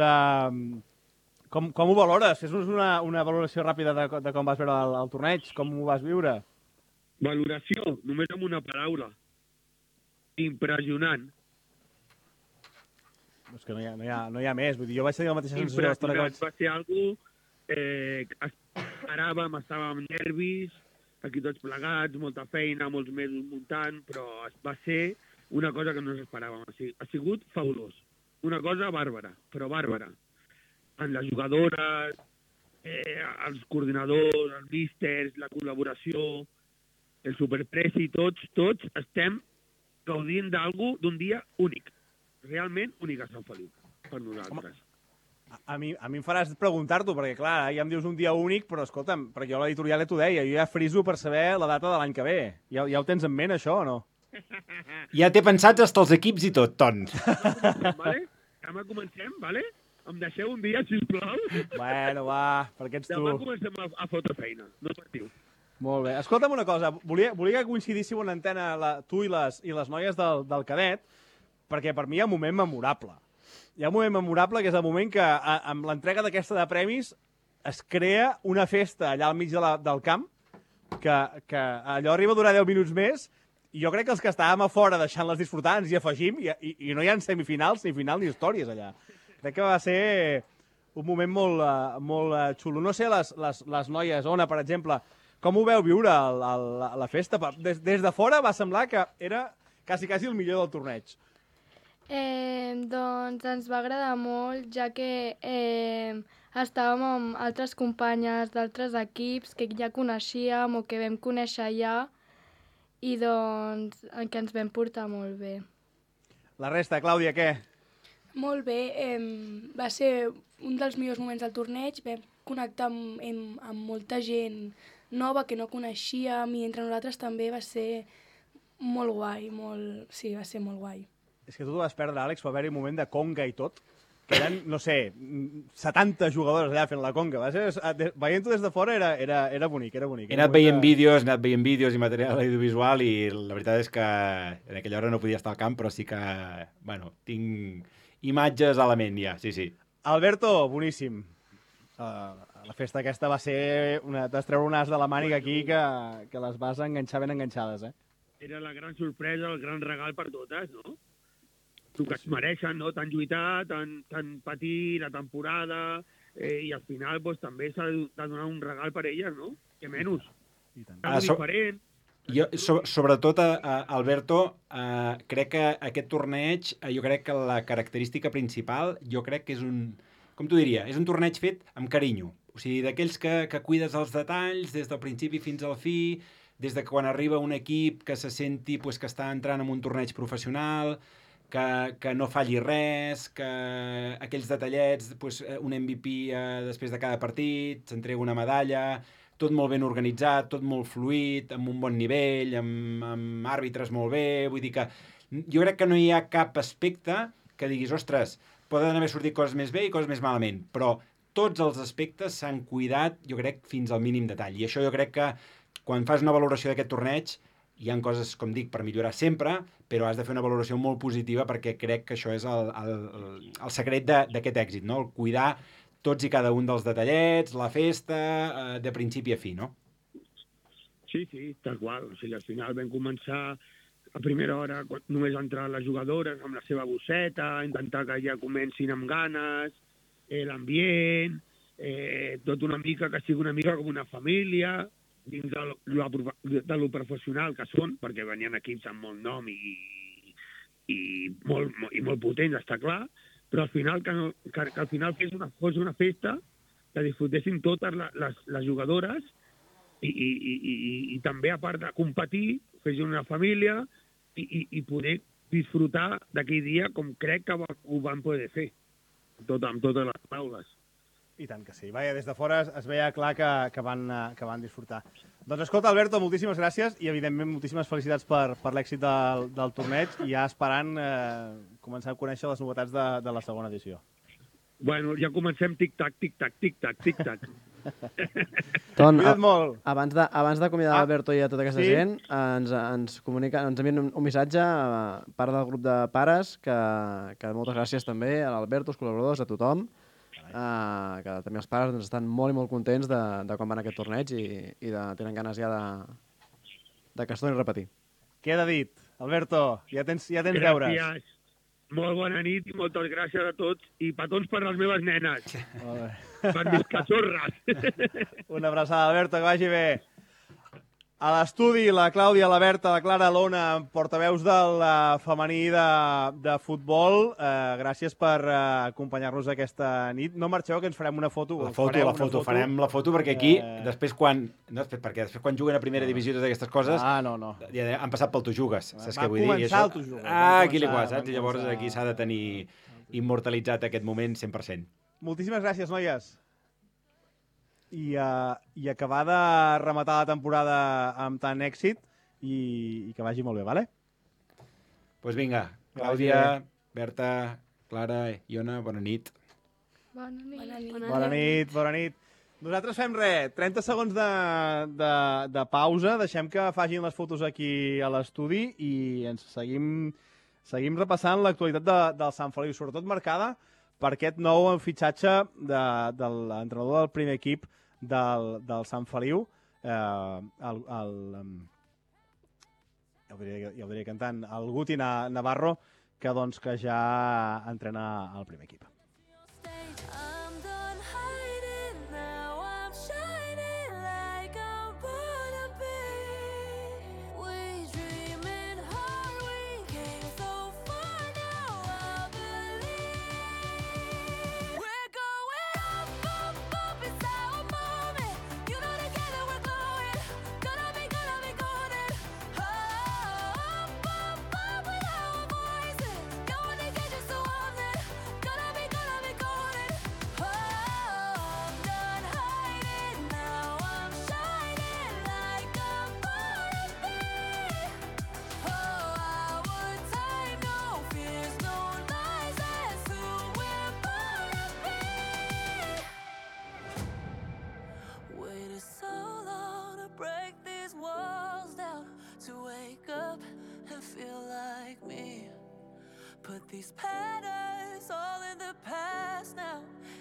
com ho valores? Fes-nos una valoració ràpida de com vas veure el torneig, com ho vas viure. Valoració, només amb una paraula. Impressionant. És que no hi ha més, vull dir, jo vaig tenir la mateixa sensació de l'estona que vaig... Va ser algú esperàvem, estàvem nervis, aquí tots plegats, molta feina, molts mesos muntant, però va ser una cosa que no ens esperàvem. Ha sigut fabulós. Una cosa bàrbara, però bàrbara. En les jugadores, els coordinadors, els místers, la col·laboració, el superpreci, tots estem gaudint d'un dia únic. Realment únic a Sant Feliu, per nosaltres. A mi em faràs preguntar-t'ho, perquè clar, ja em dius un dia únic, però escolta'm, perquè jo a l'editorial ja t'ho deia, jo ja friso per saber la data de l'any que ve. Ja ho tens en ment, això, o no? Ja té pensats hasta els equips i tot, Ton. Vale? Demà comencem, vale? Em deixeu un dia, sisplau? Bueno, va, perquè ets tu. Demà comencem a fotre feina, no patiu. Molt bé. Escolta'm una cosa, volia que coincidíssiu en antena tu i les noies del cadet, perquè per mi hi ha un moment memorable. Hi ha un moment memorable que és el moment que amb l'entrega d'aquesta de premis es crea una festa allà al mig del camp, que allò arriba a durar 10 minuts més, i jo crec que els que estàvem a fora deixant-les disfrutar ens hi afegim, i no hi ha semifinals, ni final, ni històries allà. Crec que va ser un moment molt xulo. No sé, les noies, Ona, per exemple, com ho veu viure la festa? Des de fora va semblar que era quasi el millor del torneig. Doncs ens va agradar molt, ja que estàvem amb altres companyes d'altres equips que ja coneixíem o que vam conèixer ja i doncs que ens vam portar molt bé. La resta, Clàudia, què? Molt bé, va ser un dels millors moments del torneig, vam connectar amb molta gent nova que no coneixíem i entre nosaltres també va ser molt guai, sí, va ser molt guai. És que tu t'ho vas perdre, Àlex, va haver-hi un moment de conga i tot, que eren, no sé, 70 jugadors allà fent la conga. Veient-ho des de fora era bonic, era bonic. He anat veient vídeos i material audiovisual i la veritat és que en aquella hora no podia estar al camp, però sí que, bueno, tinc imatges a la ment ja, sí. Alberto, boníssim. La festa aquesta va ser... T'has treure un as de la màniga aquí que les vas enganxar ben enganxades, Era la gran sorpresa, el gran regal per totes, no? El que es mereixen, no? Tan lluitar, tan patir la temporada, i al final pues, també s'ha de donar un regal per elles, no? Que menys. Diferent. Jo, sobretot, Alberto, crec que aquest torneig, jo crec que la característica principal, jo crec que és com t'ho diria, és un torneig fet amb carinyo. O sigui, d'aquells que cuides els detalls des del principi fins al fi, des de quan arriba un equip que se senti pues, que està entrant en un torneig professional, que no falli res, que aquells detallets, pues, un MVP després de cada partit, s'entrega una medalla, tot molt ben organitzat, tot molt fluid, amb un bon nivell, amb àrbitres molt bé, vull dir que jo crec que no hi ha cap aspecte que diguis, ostres, poden haver sortit coses més bé i coses més malament, però tots els aspectes s'han cuidat, jo crec, fins al mínim detall. I això jo crec que quan fas una valoració d'aquest torneig, hi ha coses, com dic, per millorar sempre, però has de fer una valoració molt positiva perquè crec que això és el secret d'aquest èxit, no? El cuidar tots i cada un dels detallets, la festa, de principi a fi, no? Sí, tal qual. O sigui, al final vam començar a primera hora, només entrar les jugadores amb la seva bosseta, intentar que ja comencin amb ganes, l'ambient, tot una mica, que sigui una mica com una família, dins de lo professional que són, perquè venien equips amb molt nom i molt potents, està clar, però al final que al final fos una festa que disfrutessin totes les jugadores i també, a part de competir, fessin una família i poder disfrutar d'aquell dia com crec que ho van poder fer, amb totes les paraules. I tant que sí. Vaja, des de fora es veia clar que van disfrutar. Doncs escolta, Alberto, moltíssimes gràcies i, evidentment, moltíssimes felicitats per l'èxit del torneig i ja esperant començar a conèixer les novetats de la segona edició. Bueno, ja comencem tic-tac, tic-tac, tic-tac, tic-tac. Ton, Cuida't molt. Abans d'acomiadar l'Alberto i a tota aquesta gent, ens envien un missatge a part del grup de pares, que moltes gràcies també a l'Alberto, als col·laboradors, a tothom, que també els pares estan molt i molt contents de com van aquest torneig i tenen ganes ja de que es torni a repetir. Queda dit. Alberto, ja tens deures. Gràcies. Molt bona nit i moltes gràcies a tots i petons per les meves nenes. Per mis cachorres. Una abraçada, Alberto, que vagi bé. A l'estudi, la Clàudia, la Berta, la Clara, l'Ona, portaveus del femení de futbol. Gràcies per acompanyar-nos aquesta nit. No marxeu, que ens farem una foto. Farem la foto perquè aquí, després quan juguen a primera divisió totes aquestes coses, ja han passat pel Tu Jugues. Saps què vull dir? Va començar el Tu Jugues. Aquí li saps? I llavors aquí s'ha de tenir immortalitzat aquest moment 100%. Moltíssimes gràcies, noies. I acabar de rematar la temporada amb tant èxit i que vagi molt bé, vale? Doncs vinga, Clàudia, Berta, Clara, Iona, bona nit. Bona nit. Nosaltres fem 30 segons de pausa, deixem que facin les fotos aquí a l'estudi i ens seguim repassant l'actualitat del Sant Feliu, sobretot marcada per aquest nou fitxatge de l'entrenador del primer equip del Sant Feliu, ja ho diria cantant, el Guti Navarro, que ja entrena el primer equip. Put these patterns all in the past now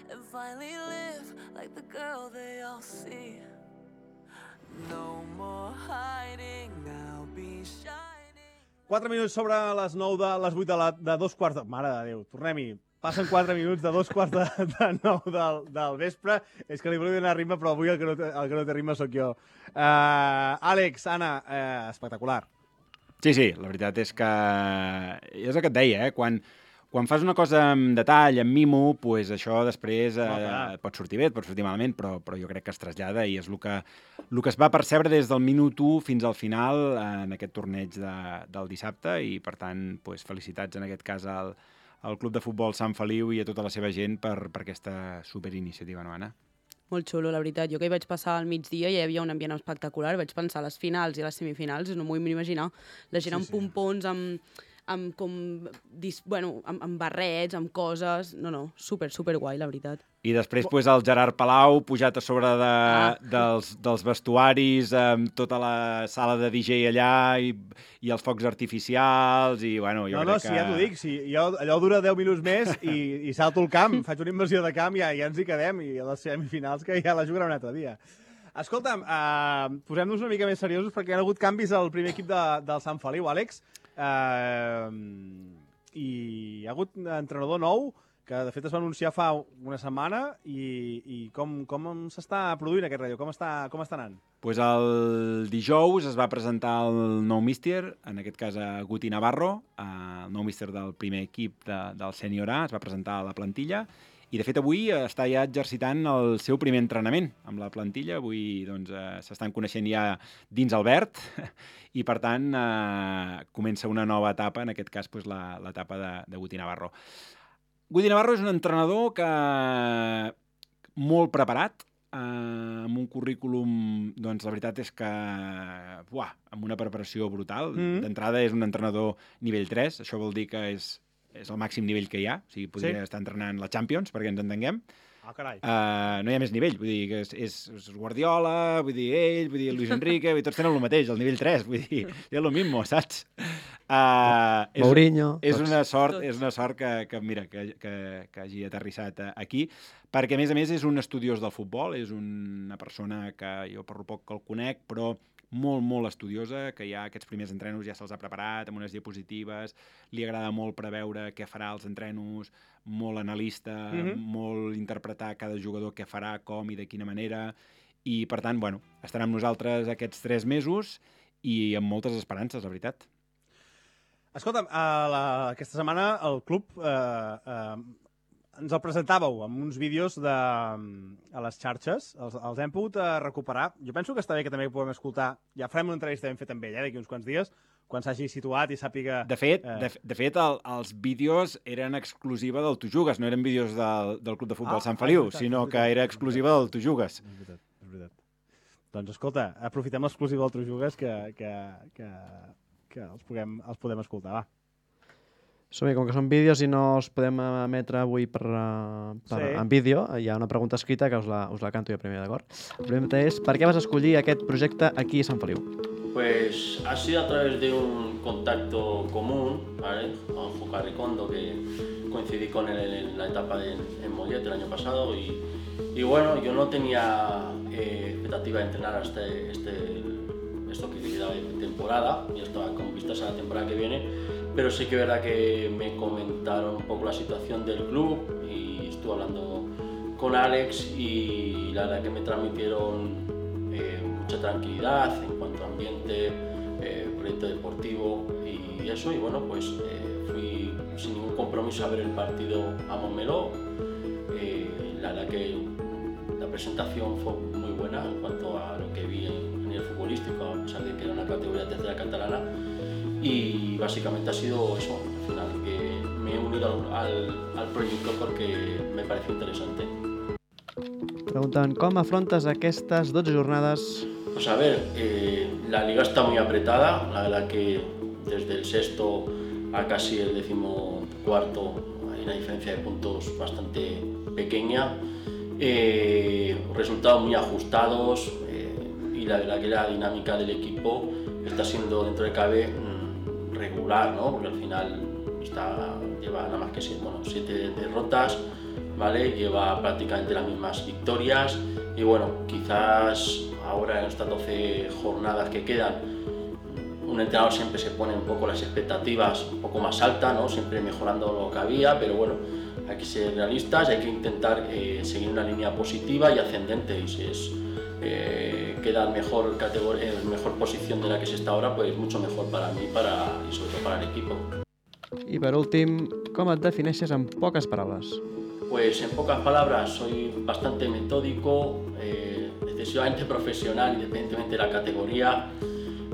and finally live like the girl they all see. No more hiding, I'll be shining. 4 minuts sobre les 9 de les 8 de 2 quarts de... Mare de Déu, tornem-hi. Passen 4 minuts de 2 quarts de 9 del vespre. És que li volia donar ritme, però avui el que no té ritme sóc jo. Àlex, Anna, espectacular. Sí, la veritat és que és el que et deia, quan quan fas una cosa amb detall, amb mimo, pues això després et pot sortir bé, et pot sortir malament, però jo crec que es trasllada i és el que es va percebre des del minut 1 fins al final en aquest torneig del dissabte i, per tant, pues, felicitats en aquest cas al Club de Futbol Sant Feliu i a tota la seva gent per aquesta superiniciativa, no, Anna? Molt xulo, la veritat. Jo que hi vaig passar al migdia i hi havia un ambient espectacular. Vaig pensar a les finals i a les semifinals, no m'ho vull imaginar. La gent amb pompons, amb barrets, amb coses... No, super guai, la veritat. I després pues, el Gerard Palau pujat a sobre dels vestuaris, amb tota la sala de DJ allà i els focs artificials i, bueno, jo crec que... ja t'ho dic, allò dura 10 minuts més i salto el camp, faig una invasió de camp i ja ens hi quedem i a les semifinals que ja la jugarà un altre dia. Escolta'm, posem-nos una mica més seriosos perquè hi ha hagut canvis al primer equip del Sant Feliu, Àlex. I hi ha hagut un entrenador nou que de fet es va anunciar fa una setmana i com s'està produint aquest relleu? Com està anant? Pues el dijous es va presentar el nou míster, en aquest cas a Guti Navarro, el nou míster del primer equip del Sènior A, es va presentar a la plantilla i de fet avui està ja exercitant el seu primer entrenament amb la plantilla. Avui doncs, s'estan coneixent ja dins el verd i per tant comença una nova etapa, en aquest cas doncs, l'etapa de Guti Navarro. Guti Navarro és un entrenador que molt preparat, amb un currículum, doncs la veritat és que amb una preparació brutal. D'entrada és un entrenador nivell 3, això vol dir que és el màxim nivell que hi ha, o sigui, podria estar entrenant la Champions, perquè ens entenguem. Carai. No hi ha més nivell, vull dir que és Guardiola, vull dir ell, vull dir Luis Enrique, tots tenen el mateix, el nivell 3, vull dir, és el mismo, saps? Mourinho. És una sort que mira, que hagi aterrissat aquí, perquè a més és un estudiós del futbol, és una persona que jo per poc que el conec, però molt estudiosa, que ja aquests primers entrenos ja se'ls ha preparat amb unes diapositives, li agrada molt preveure què farà als entrenos, molt analista, molt interpretar cada jugador què farà, com i de quina manera, i per tant, bueno, estarà amb nosaltres aquests 3 mesos i amb moltes esperances, la veritat. Escolta'm, aquesta setmana el club ens el presentàveu amb uns vídeos a les xarxes, els hem pogut recuperar. Jo penso que està bé que també puguem escoltar, ja farem una entrevista ben feta amb ell, d'aquí uns quants dies, quan s'hagi situat i sàpiga... De fet, els vídeos eren exclusiva del Tu Jugues, no eren vídeos del Club de Futbol Sant Feliu, sinó que era exclusiva del Tu Jugues. És veritat. Doncs escolta, aprofitem l'exclusiva del Tu Jugues que els podem escoltar, va. Som-hi, com que són vídeos i no els podem emetre avui en vídeo, hi ha una pregunta escrita que us la canto jo primer, d'acord? La pregunta és, per què vas escollir aquest projecte aquí a Sant Feliu? Pues ha sido a través de un contacto común, ¿vale? Con Juca Ricondo, que coincidí con él en la etapa en Mollet el año pasado y bueno, yo no tenía expectativa de entrenar hasta esto que queda de temporada, y estaba con vistas a la temporada que viene, pero sí que es verdad que me comentaron un poco la situación del club y estuve hablando con Alex y la verdad que me transmitieron mucha tranquilidad en cuanto a ambiente, proyecto deportivo y eso, y bueno, pues fui sin ningún compromiso a ver el partido a Montmeló. La verdad que la presentación fue muy buena en cuanto a lo que vi en el futbolístico, a pesar de que era una categoría tercera catalana, y básicamente ha sido eso, al final, que me he unido al proyecto porque me pareció interesante. Pregunten, com afrontes aquestes 12 jornades? Pues a ver, la liga está muy apretada, la verdad que desde el sexto a casi el 14º hay una diferencia de puntos bastante pequeña, resultados muy ajustados y la verdad que la dinámica del equipo está siendo dentro de cabe regular, ¿no? Porque al final lleva nada más que 7 derrotas, ¿vale? Lleva prácticamente las mismas victorias y bueno, quizás ahora en estas 12 jornadas que quedan, un entrenador siempre se pone un poco las expectativas un poco más altas, ¿no? Siempre mejorando lo que había, pero bueno, hay que ser realistas, hay que intentar seguir una línea positiva y ascendente, y si es queda en mejor posición de la que se está ahora, pues mucho mejor para mí y sobre todo para el equipo. I per últim, com et defineixes en poques paraules? Pues en pocas palabras, soy bastante metódico, excesivamente profesional, independientemente de la categoría,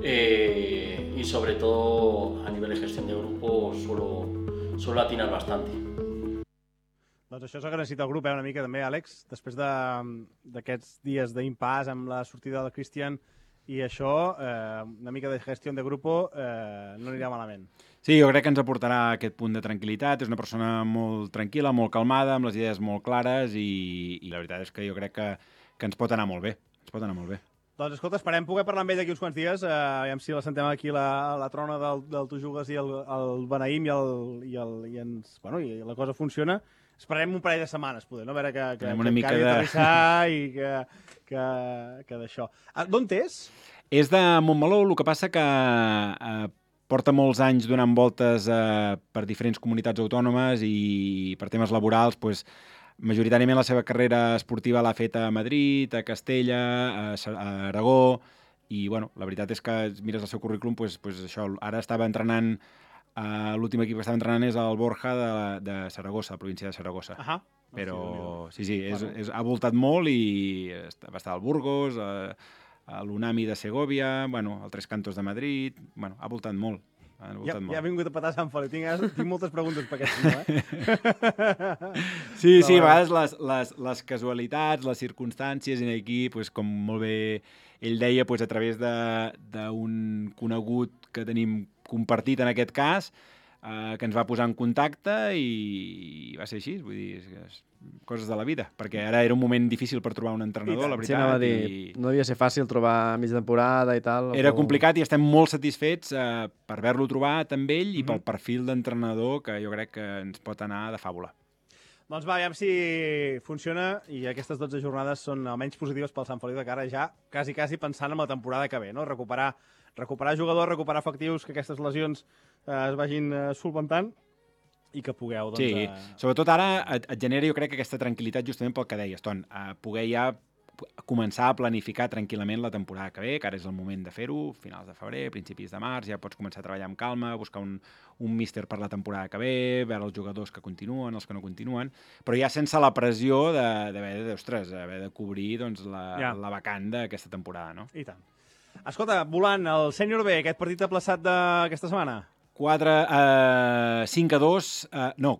y sobre todo a nivel de gestión de grupo suelo atinar bastante. Doncs això és el que necessita el grup, una mica també, Àlex, després d'aquests dies d'impàs amb la sortida del Cristian i això, una mica de gestió de grup no anirà malament. Sí, jo crec que ens aportarà aquest punt de tranquil·litat. És una persona molt tranquil·la, molt calmada, amb les idees molt clares i la veritat és que jo crec que ens pot anar molt bé. Ens pot anar molt bé. Doncs escolta, esperem poder parlar amb ell d'aquí uns quants dies. Aviam si la sentem aquí la trona del Tu Jugues i el beneïm i la cosa funciona. Esperarem un parell de setmanes, poder, no? A veure que acabi d'aterrissar i que d'això. D'on és? És de Montmeló, el que passa que porta molts anys donant voltes per diferents comunitats autònomes i per temes laborals, doncs, majoritàriament la seva carrera esportiva l'ha fet a Madrid, a Castella, a Aragó, i bueno, la veritat és que mires el seu currículum, doncs això, ara estava entrenant, l'últim equip que estava entrenant és el Borja de Saragossa, la província de Saragossa. Però sí, ha voltat molt i va estar al Burgos, a l'Unami de Segovia, al Tres Cantos de Madrid, ha voltat molt. Ja ha vingut a petar Sant Feliu. Tinc moltes preguntes per aquest senyor, Sí, a vegades les casualitats, les circumstàncies en aquí, com molt bé ell deia, a través d'un conegut que tenim compartit en aquest cas, que ens va posar en contacte i va ser així, vull dir, coses de la vida, perquè ara era un moment difícil per trobar un entrenador, la veritat. Sí, anava a dir, no devia ser fàcil trobar mig temporada i tal. Era complicat i estem molt satisfets per haver-lo trobat amb ell i pel perfil d'entrenador que jo crec que ens pot anar de fàbula. Doncs va, aviam si funciona i aquestes 12 jornades són almenys positives pel Sant Feliu de cara ja quasi pensant en la temporada que ve, no? Recuperar jugadors, recuperar efectius, que aquestes lesions es vagin solventant i que pugueu... Sí, sobretot ara et genera, jo crec, aquesta tranquil·litat justament pel que deies, Ton, poder ja començar a planificar tranquil·lament la temporada que ve, que ara és el moment de fer-ho, finals de febrer, principis de març, ja pots començar a treballar amb calma, buscar un míster per la temporada que ve, veure els jugadors que continuen, els que no continuen, però ja sense la pressió d'haver de cobrir la vacant d'aquesta temporada, no? I tant. Escolta, volant, el sènior B, aquest partit aplaçat d'aquesta setmana? 5-2, no,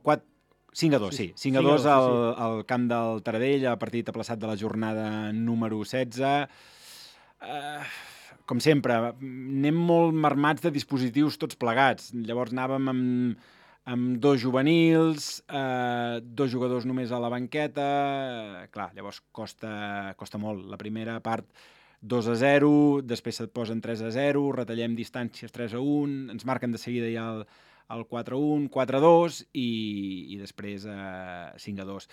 5-2, sí. 5-2 al camp del Taradell, el partit aplaçat de la jornada número 16. Com sempre, anem molt marmats de dispositius tots plegats. Llavors anàvem amb 2 juvenils, 2 jugadors només a la banqueta. Clar, llavors costa molt. La primera part 2-0, després se't posen 3-0, retallem distàncies 3-1, ens marquen de seguida ja el 4-1, 4-2 i després 5-2.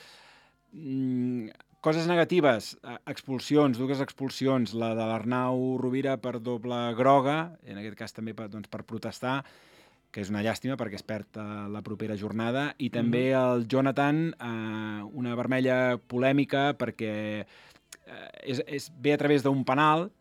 Coses negatives, expulsions, 2 expulsions, la de l'Arnau Rovira per doble groga, en aquest cas també per protestar, que és una llàstima perquè es perd la propera jornada, i també el Jonathan, una vermella polèmica perquè ve a través d'un penal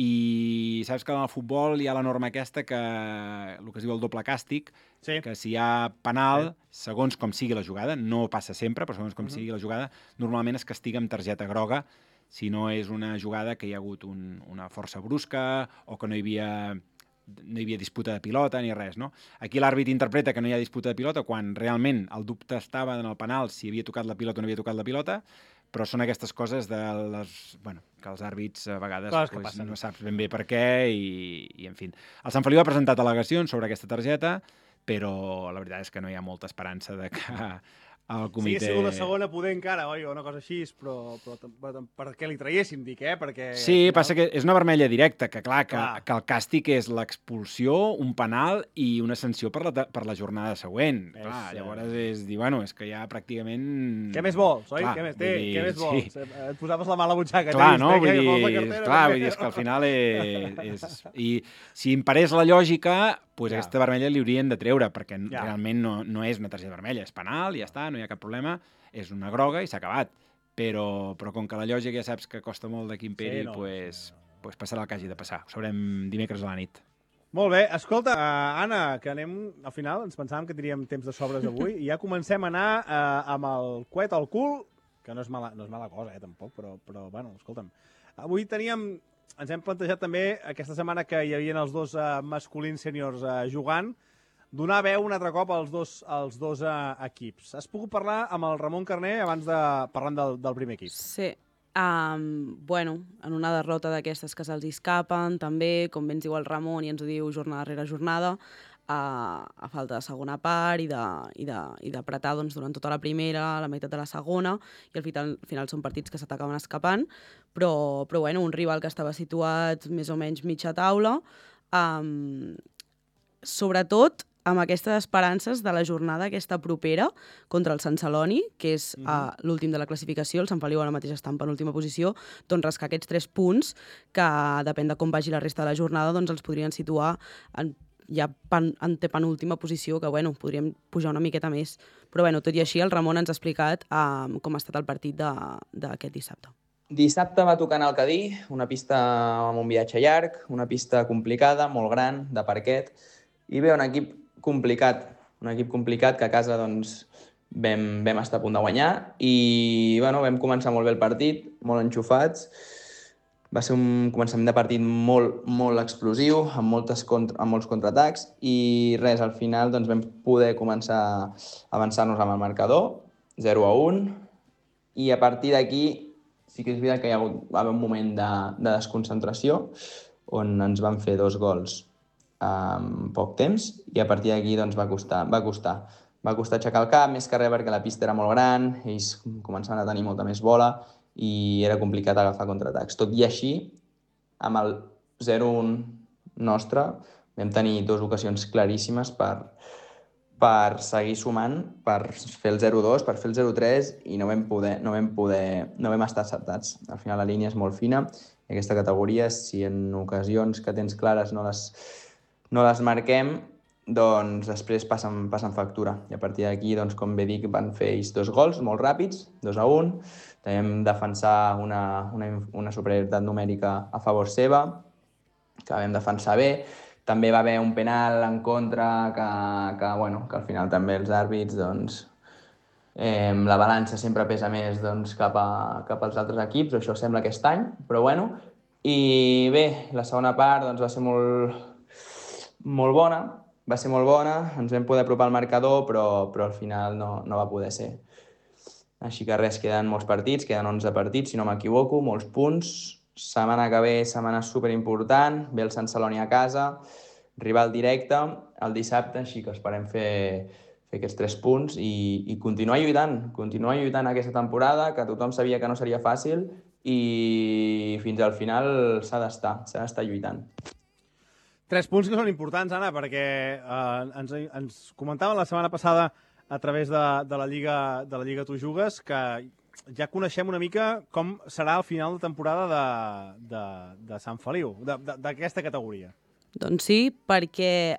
i saps que en el futbol hi ha la norma aquesta que el que es diu el doble càstig, que si hi ha penal, segons com sigui la jugada, no passa sempre, però segons com sigui la jugada, normalment es castiga amb targeta groga si no és una jugada que hi ha hagut una força brusca o que no hi havia disputa de pilota ni res, no? Aquí l'àrbit interpreta que no hi ha disputa de pilota quan realment el dubte estava en el penal si havia tocat la pilota o no havia tocat la pilota, però són aquestes coses que els àrbits a vegades no saps ben bé per què i en fi. El Sant Feliu ha presentat al·legacions sobre aquesta targeta, però la veritat és que no hi ha molta esperança de que el comitè... Sí, ha sigut la segona poder encara, oi? O una cosa així, però perquè li traiéssim, dic, perquè... Sí, passa que és una vermella directa, que clar, que el càstig és l'expulsió, un penal i una sanció per la jornada següent. Clar, llavors és dir, és que ja pràcticament... Què més vols, oi? Què més vols? Et posaves la mà a la butxaca. Clar, no? Vull dir, és que al final és... I si em parés la lògica, aquesta vermella li haurien de treure, perquè realment no és una targeta vermella, és penal i ja està, no hi ha cap problema, és una groga i s'ha acabat. Però com que la lògica ja saps que costa molt de que imperi, doncs passarà el que hagi de passar. Ho sabrem dimecres a la nit. Molt bé, escolta, Anna, que anem, al final ens pensàvem que tindríem temps de sobres avui, i ja comencem a anar amb el coet al cul, que no és mala cosa, tampoc, però bueno, escolta'm. Avui ens hem plantejat també, aquesta setmana que hi havia els dos masculins sèniors jugant, donar veu un altre cop als dos equips. Has pogut parlar amb el Ramon Carner abans de parlar del primer equip? Sí. Bueno, en una derrota d'aquestes que se'ls escapen, també, com ben diu el Ramon i ens ho diu jornada rere jornada, a falta de segona part i d'apretar durant tota la primera, la meitat de la segona, i al final són partits que s'atacaven escapant, però bueno, un rival que estava situat més o menys mitja taula, sobretot amb aquestes esperances de la jornada aquesta propera contra el Sant Celoni, que és l'últim de la classificació, el Sant Feliu ara mateix està en penúltima posició, doncs rascar aquests 3 punts que, depèn de com vagi la resta de la jornada, doncs els podrien situar en penúltima posició, que bueno, podríem pujar una miqueta més. Però bueno, tot i així, el Ramon ens ha explicat com ha estat el partit d'aquest dissabte. Dissabte va tocar anar al Cadí, una pista amb un viatge llarg, una pista complicada, molt gran, de parquet, i bé, un equip complicat que a casa doncs, vam estar a punt de guanyar i bueno, vam començar molt bé el partit, molt enxufats. Va ser un començament de partit molt explosiu, amb molts contraatacs i res, al final doncs, vam poder començar a avançar-nos amb el marcador, 0-1, i a partir d'aquí sí que és veritat que va haver un moment de desconcentració on ens van fer 2 gols en poc temps i a partir d'aquí doncs, va costar aixecar el cap, més que res perquè la pista era molt gran, ells començaven a tenir molta més bola i era complicat agafar contraatacs. Tot i així, amb el 0-1 nostre vam tenir 2 ocasions claríssimes per seguir sumant, per fer el 0-2, per fer el 0-3 i no vam estar acertats. Al final la línia és molt fina i aquesta categoria, si en ocasions que tens clares no les marquem, doncs després passen factura. I a partir d'aquí, doncs, com bé dic, van fer ells 2 gols molt ràpids, 2-1. També vam defensar una superioritat numèrica a favor seva, que vam defensar bé. També va haver un penal en contra que al final també els àrbits, doncs, la balança sempre pesa més doncs, cap als altres equips, això sembla aquest any, però bueno. I bé, la segona part doncs, va ser molt bona, ens vam poder apropar al marcador, però al final no va poder ser. Així que res, queden molts partits, queden 11 partits, si no m'equivoco, molts punts. Setmana que ve, setmana superimportant, ve el Sant Celoni a casa, rival directe, el dissabte, així que esperem fer aquests 3 punts i continuar lluitant aquesta temporada, que tothom sabia que no seria fàcil i fins al final s'ha d'estar lluitant. 3 punts que són importants, Anna, perquè ens comentaven la setmana passada a través de la Lliga Tu Jugues que ja coneixem una mica com serà el final de temporada de Sant Feliu, d'aquesta categoria. Doncs sí, perquè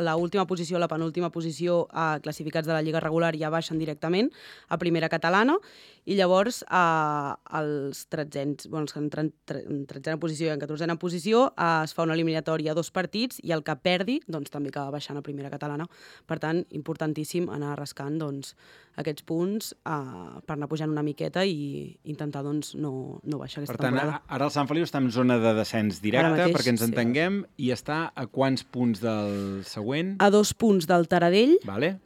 l'última posició, la penúltima posició classificats de la Lliga regular ja baixen directament a primera catalana i llavors els 13ens, els que entren en 13a posició i en 14a posició es fa una eliminatòria a 2 partits i el que perdi doncs, també acaba baixant a primera catalana. Per tant, importantíssim anar rascant doncs, aquests punts per anar pujant una miqueta i intentar doncs, no baixar aquesta temporada. Per tant, ara el Sant Feliu està en zona de descens directe, mateix, perquè ens entenguem, i està a quants punts del següent? A 2 punts del Taradell, vale.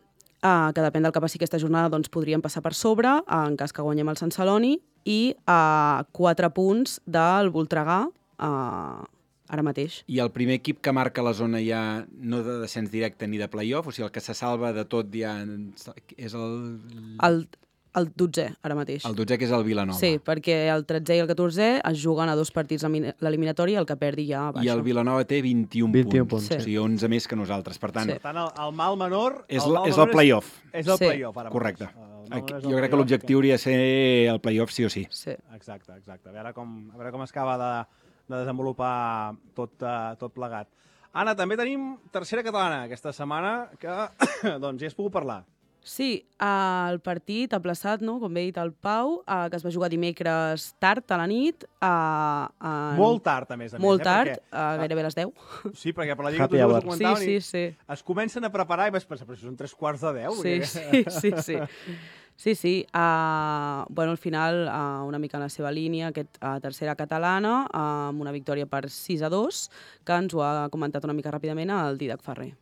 Que depèn del que passi aquesta jornada, doncs podríem passar per sobre, en cas que guanyem el Sant Celoni, i a 4 punts del Voltregà, ara mateix. I el primer equip que marca la zona ja no de descens directe ni de play-off, o sigui, el que se salva de tot ja és El 12è, ara mateix. El 12è, que és el Vilanova. Sí, perquè el 13è i el 14è es juguen a 2 partits l'eliminatori i el que perdi ja baixa. I el Vilanova té 21 punts. Sí. O sigui, 11 més que nosaltres. Per tant, el mal menor... És el play-off. És el play-off, ara. Correcte. Jo crec que l'objectiu hauria de ser el play-off sí o sí. Exacte. A veure com es acaba de desenvolupar tot plegat. Anna, també tenim tercera catalana aquesta setmana, que doncs ja has pogut parlar. Sí, el partit aplaçat, no? Com bé ha dit el Pau, que es va jugar dimecres tard a la nit. Molt tard, a més. Molt tard, perquè, gairebé a les 10. Sí, perquè per la Lliga tots ho comentaven sí. Es comencen a preparar i vas pensar, però són 3:15. Sí. Bueno, al final, una mica en la seva línia, tercera catalana, amb una victòria per 6-2, que ens ho ha comentat una mica ràpidament el Dídac Ferrer.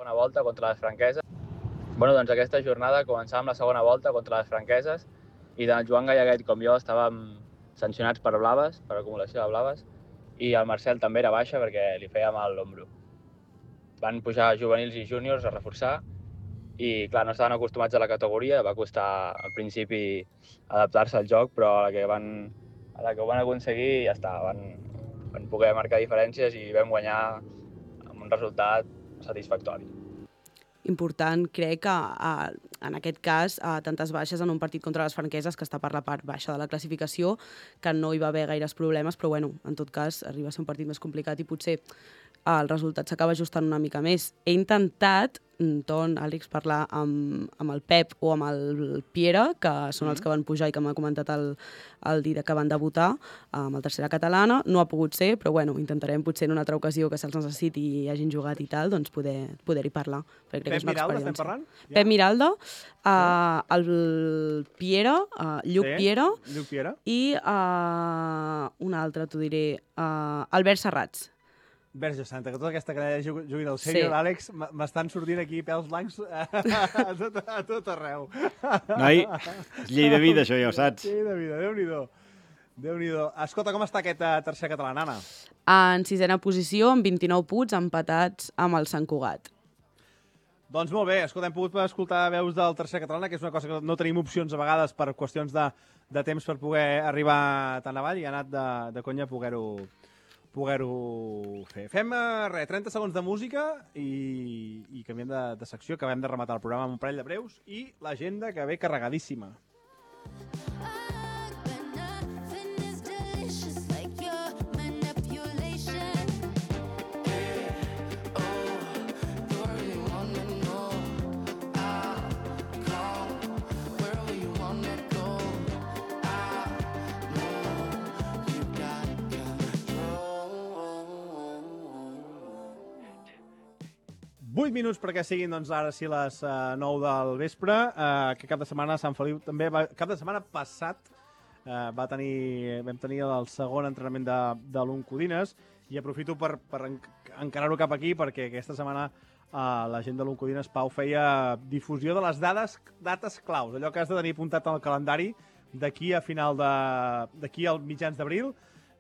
Segona volta contra les franqueses. Doncs aquesta jornada començàvem la segona volta contra les franqueses i tant el Joan Gallaguet com jo estàvem sancionats per blaves, per acumulació de blaves, i el Marcel també era baixa perquè li feia mal l'ombro. Van pujar juvenils i júniors a reforçar i, clar, no estaven acostumats a la categoria, va costar al principi adaptar-se al joc, però a la que ho van aconseguir ja està, van poder marcar diferències i vam guanyar amb un resultat satisfactori. Important, crec que en aquest cas tantes baixes en un partit contra les franqueses, que està per la part baixa de la classificació, que no hi va haver gaires problemes, però bueno, en tot cas arriba a ser un partit més complicat i potser el resultat s'acaba ajustant una mica més. He intentat, Àlex, parlar amb el Pep o amb el Piera, que són els que van pujar i que m'ha comentat el dia que van debutar amb el tercera catalana. No ha pogut ser, però bueno, intentarem potser en una altra ocasió que se'ls necessiti i hagin jugat i tal, doncs poder-hi parlar. Pep Miralda, estem parlant? Pep Miralda, el Piera, Lluc Piera, i un altre, t'ho diré, Albert Serrats. Verge Santa, que tota aquesta canalla jugui del sènior, Àlex, m'estan sortint aquí pèls blancs a tot arreu. Noi, és llei de vida, això ja ho saps. Llei de vida, Déu-n'hi-do. Escolta, com està aquesta tercera catalana, Anna? En sisena posició, amb 29 punts, empatats amb el Sant Cugat. Doncs molt bé, escolta, hem pogut escoltar veus del tercer catalana, que és una cosa que no tenim opcions a vegades per qüestions de temps per poder arribar tan avall i ha anat de conya poder-ho fer. Fem 30 segons de música i canviem de secció. Acabem de rematar el programa amb un parell de breus i l'agenda que ve carregadíssima. Vuit minuts perquè siguin, doncs, ara sí les 9 del vespre. Que cap de setmana Sant Feliu també cap de setmana passat vam tenir el segon entrenament de l'Oncodines i aprofito per encarar-ho cap aquí perquè aquesta setmana la gent de l'Oncodines, Pau, feia difusió de les dates claus, allò que has de tenir apuntat al calendari d'aquí al mitjans d'abril,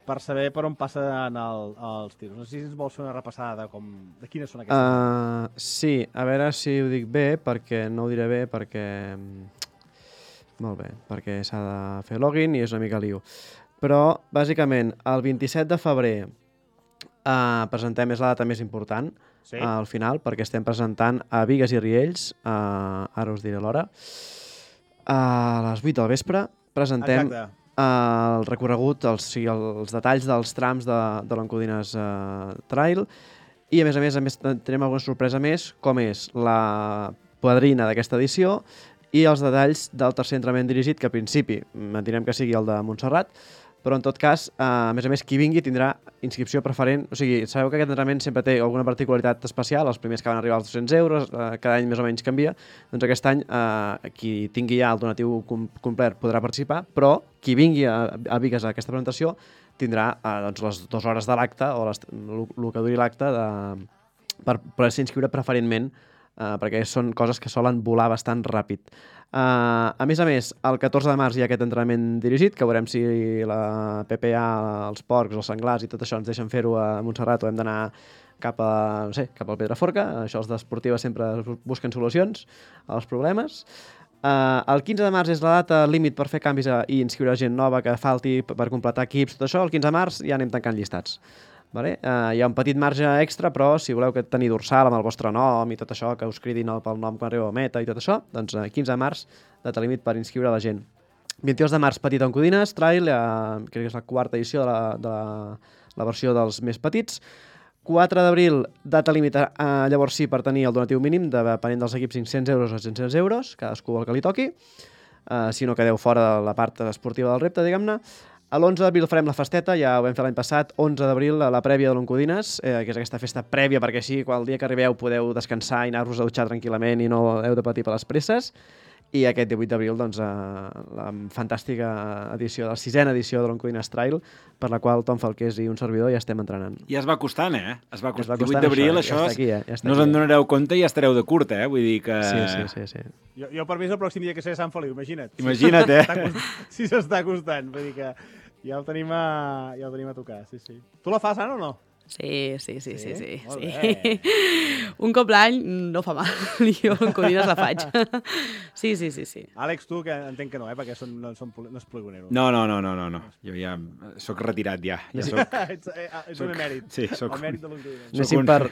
per saber per on passen els tiros. No sé si ens vols fer una repassada de quines són aquestes. Sí, a veure si ho dic bé, perquè no ho diré bé, perquè... Molt bé, perquè s'ha de fer login i és una mica lío. Però, bàsicament, el 27 de febrer presentem, és la data més important, al final, perquè estem presentant a Bigues i Riells, ara us diré l'hora, a les 8 del vespre, presentem... Exacte. El recorregut, els detalls dels trams de l'Oncodines Trail i a més tenim alguna sorpresa més, com és la padrina d'aquesta edició i els detalls del tercer entrenament dirigit, que a principi mantinem que sigui el de Montserrat, però en tot cas, a més, qui vingui tindrà inscripció preferent. O sigui, sabeu que aquest entrenament sempre té alguna particularitat especial, els primers que van arribar als 200 euros, cada any més o menys canvia, doncs aquest any qui tingui ja el donatiu complet podrà participar, però qui vingui a Bigues a aquesta presentació tindrà les 2 hores de l'acte o el que duri l'acte per poder-se inscriure preferentment, perquè són coses que solen volar bastant ràpid. A més, el 14 de març hi ha aquest entrenament dirigit, que veurem si la PPA, els porcs, els senglars i tot això ens deixen fer-ho a Montserrat o hem d'anar cap al Pedraforca. Això els d'esportives sempre busquen solucions als problemes. El 15 de març és la data límit per fer canvis i inscriure gent nova que falti per completar equips, tot això. El 15 de març ja anem tancant llistats. Vale? Hi ha un petit marge extra, però si voleu tenir dorsal amb el vostre nom i tot això, que us cridin pel nom quan arribeu a meta i tot això, doncs 15 de març, data límit per inscriure la gent. 22 de març, Petit Oncodines, Trail, crec que és la 4ª edició de la versió dels més petits. 4 d'abril, data límit, llavors sí, per tenir el donatiu mínim, depenent dels equips, 500 euros o 700 euros, cadascú el que li toqui, si no quedeu fora de la part esportiva del repte, diguem-ne. A l'11 d'abril farem la festeta, ja ho vam fer l'any passat, 11 d'abril, la prèvia de l'Oncodines, que és aquesta festa prèvia, perquè així, quan el dia que arribeu podeu descansar i anar-vos a dutxar tranquil·lament i no heu de patir per les presses. I aquest 18 d'abril, doncs, la fantàstica edició, la 6ª edició de l'Oncodines Trail, per la qual Tom Falqués i un servidor ja estem entrenant. I es va costant, eh? Es va costant. 18 d'abril, això, no us en donareu compte i estareu de curt, eh? Vull dir que... Sí. Jo per mi és el pròxim dia que seré a Sant Feliu, imagina't. Imagina't, eh? Si s'està costant, vull dir que ja ho tenim a tocar, sí. Tu la fas, Anna, o no? Sí. Molt bé. Un cop l'any no fa mal, jo en Codines la faig. Sí. Àlex, tu, que entenc que no, perquè no és poligonero. No. Jo ja soc retirat, ja. Ets un emèrit. Sí, soc... El mèrit de l'Oncodines.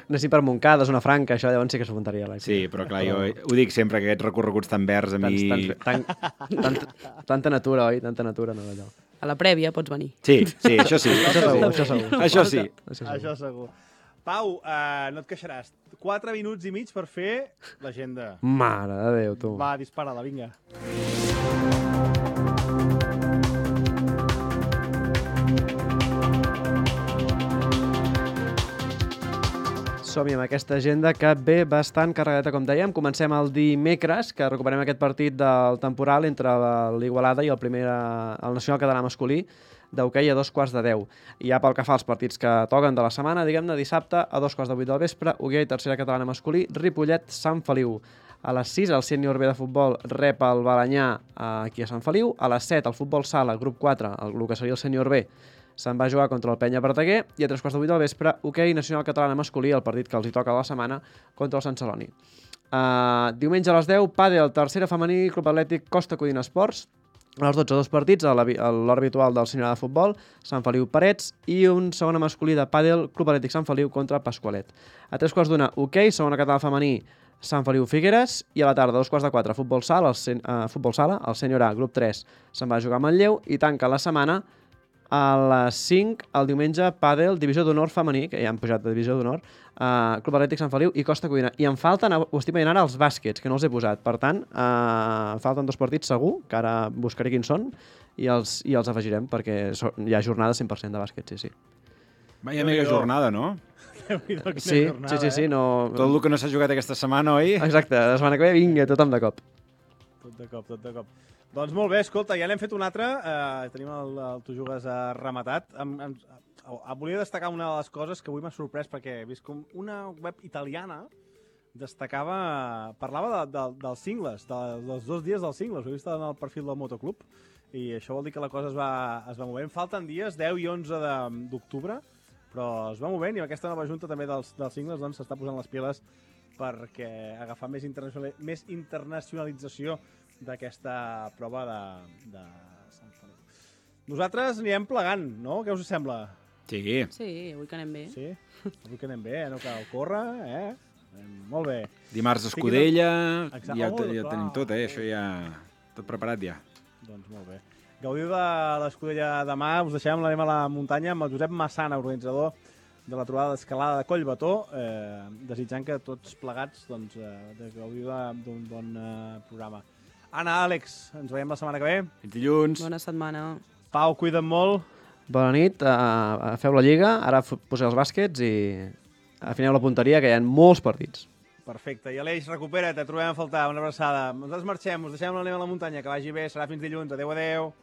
Anéssim per Montcada, Zona Franca, això llavors sí que s'ho apuntaria, Àlex. Sí, però clar, jo ho dic sempre, que aquests recorreguts tan verds a mi... Tanta natura, oi? Tanta natura, no, allò. A la prèvia pots venir. Sí, això sí. Això segur. Això segur. Pau, no et queixaràs. 4 minuts i mig per fer l'agenda. Mare de Déu, tu. Va, dispara-la, vinga. Som-hi amb aquesta agenda que ve bastant carregadeta, com dèiem. Comencem el dimecres, que recuperem aquest partit del temporal entre l'Igualada i el Nacional Català masculí d'hoquei a 2:15. I ja pel que fa als partits que toquen de la setmana, diguem-ne, dissabte a 2:08 del vespre, hoquei tercera catalana masculí, Ripollet-Sant Feliu. A les 6 el sènior B de futbol rep el Balanyà aquí a Sant Feliu. A les 7 el futbol sala, grup 4, el que seria el sènior B, se'n va jugar contra el Penya Verdaguer, i a 3:08 del vespre, hoquei nacional catalana masculí, el partit que els hi toca a la setmana, contra el Sant Celoni. Diumenge a les 10, pàdel, tercera femení, Club Atlètic Costa Codina Esports. A les 12, 2 partits, a l'hora habitual del sènior de futbol, Sant Feliu Parets, i un segona masculí de pàdel, Club Atlètic Sant Feliu contra Pasqualet. A 3:15, hoquei, segona catalana femení, Sant Feliu Figueres, i a la tarda, 2:15, futbol sala, el sènior A, grup 3, se'n va jugar a Manlleu, i tanca la setmana a les 5, el diumenge, pàdel, divisió d'honor femení, que ja han pujat de divisió d'honor, Club Atlètic Sant Feliu i Costa Codina. I em falten, ho estic veient ara, els bàsquets, que no els he posat. Per tant, em falten 2 partits segur, que ara buscaré quins són, i els afegirem, perquè hi ha jornada 100% de bàsquet, sí. Vaya mega jornada, no? Sí, no... Tot el que no s'ha jugat aquesta setmana, oi? Exacte, la setmana que ve, vinga, tothom de cop. Tot de cop. Doncs molt bé, escolta, ja n'hem fet un altre. Tenim el Tu Jugues rematat. Volia destacar una de les coses que avui m'ha sorprès, perquè he vist com una web italiana parlava dels cingles, dels 2 dies dels cingles. Ho he vist en el perfil del Motoclub, i això vol dir que la cosa es va movent. Falten dies, 10 i 11 d'octubre, però es va movent, i amb aquesta nova junta també dels cingles doncs s'està posant les piles perquè agafar més internacionalització d'aquesta prova de Sant Feliu. Nosaltres anirem plegant, no? Què us sembla? Sí, avui que anem bé. Sí, avui que anem bé, no cal córrer, Molt bé. Dimarts Escudella, ja tenim tot, això ja... Tot preparat ja. Doncs molt bé. Gaudiu de l'Escudella demà, us deixem, l'anem a la muntanya amb el Josep Massana, organitzador de la trobada d'escalada de Collbató, desitjant que tots plegats gaudiu d'un bon programa. Anna, Àlex, ens veiem la setmana que ve. Fins dilluns. Bona setmana. Pau, cuida't molt. Bona nit, feu la lliga, ara poseu els bàsquets i afineu la punteria, que hi ha molts partits. Perfecte, i Aleix, recupera't, et trobem a faltar, una abraçada. Nosaltres marxem, us deixem l'anem a la muntanya, que vagi bé, serà fins dilluns, adeu.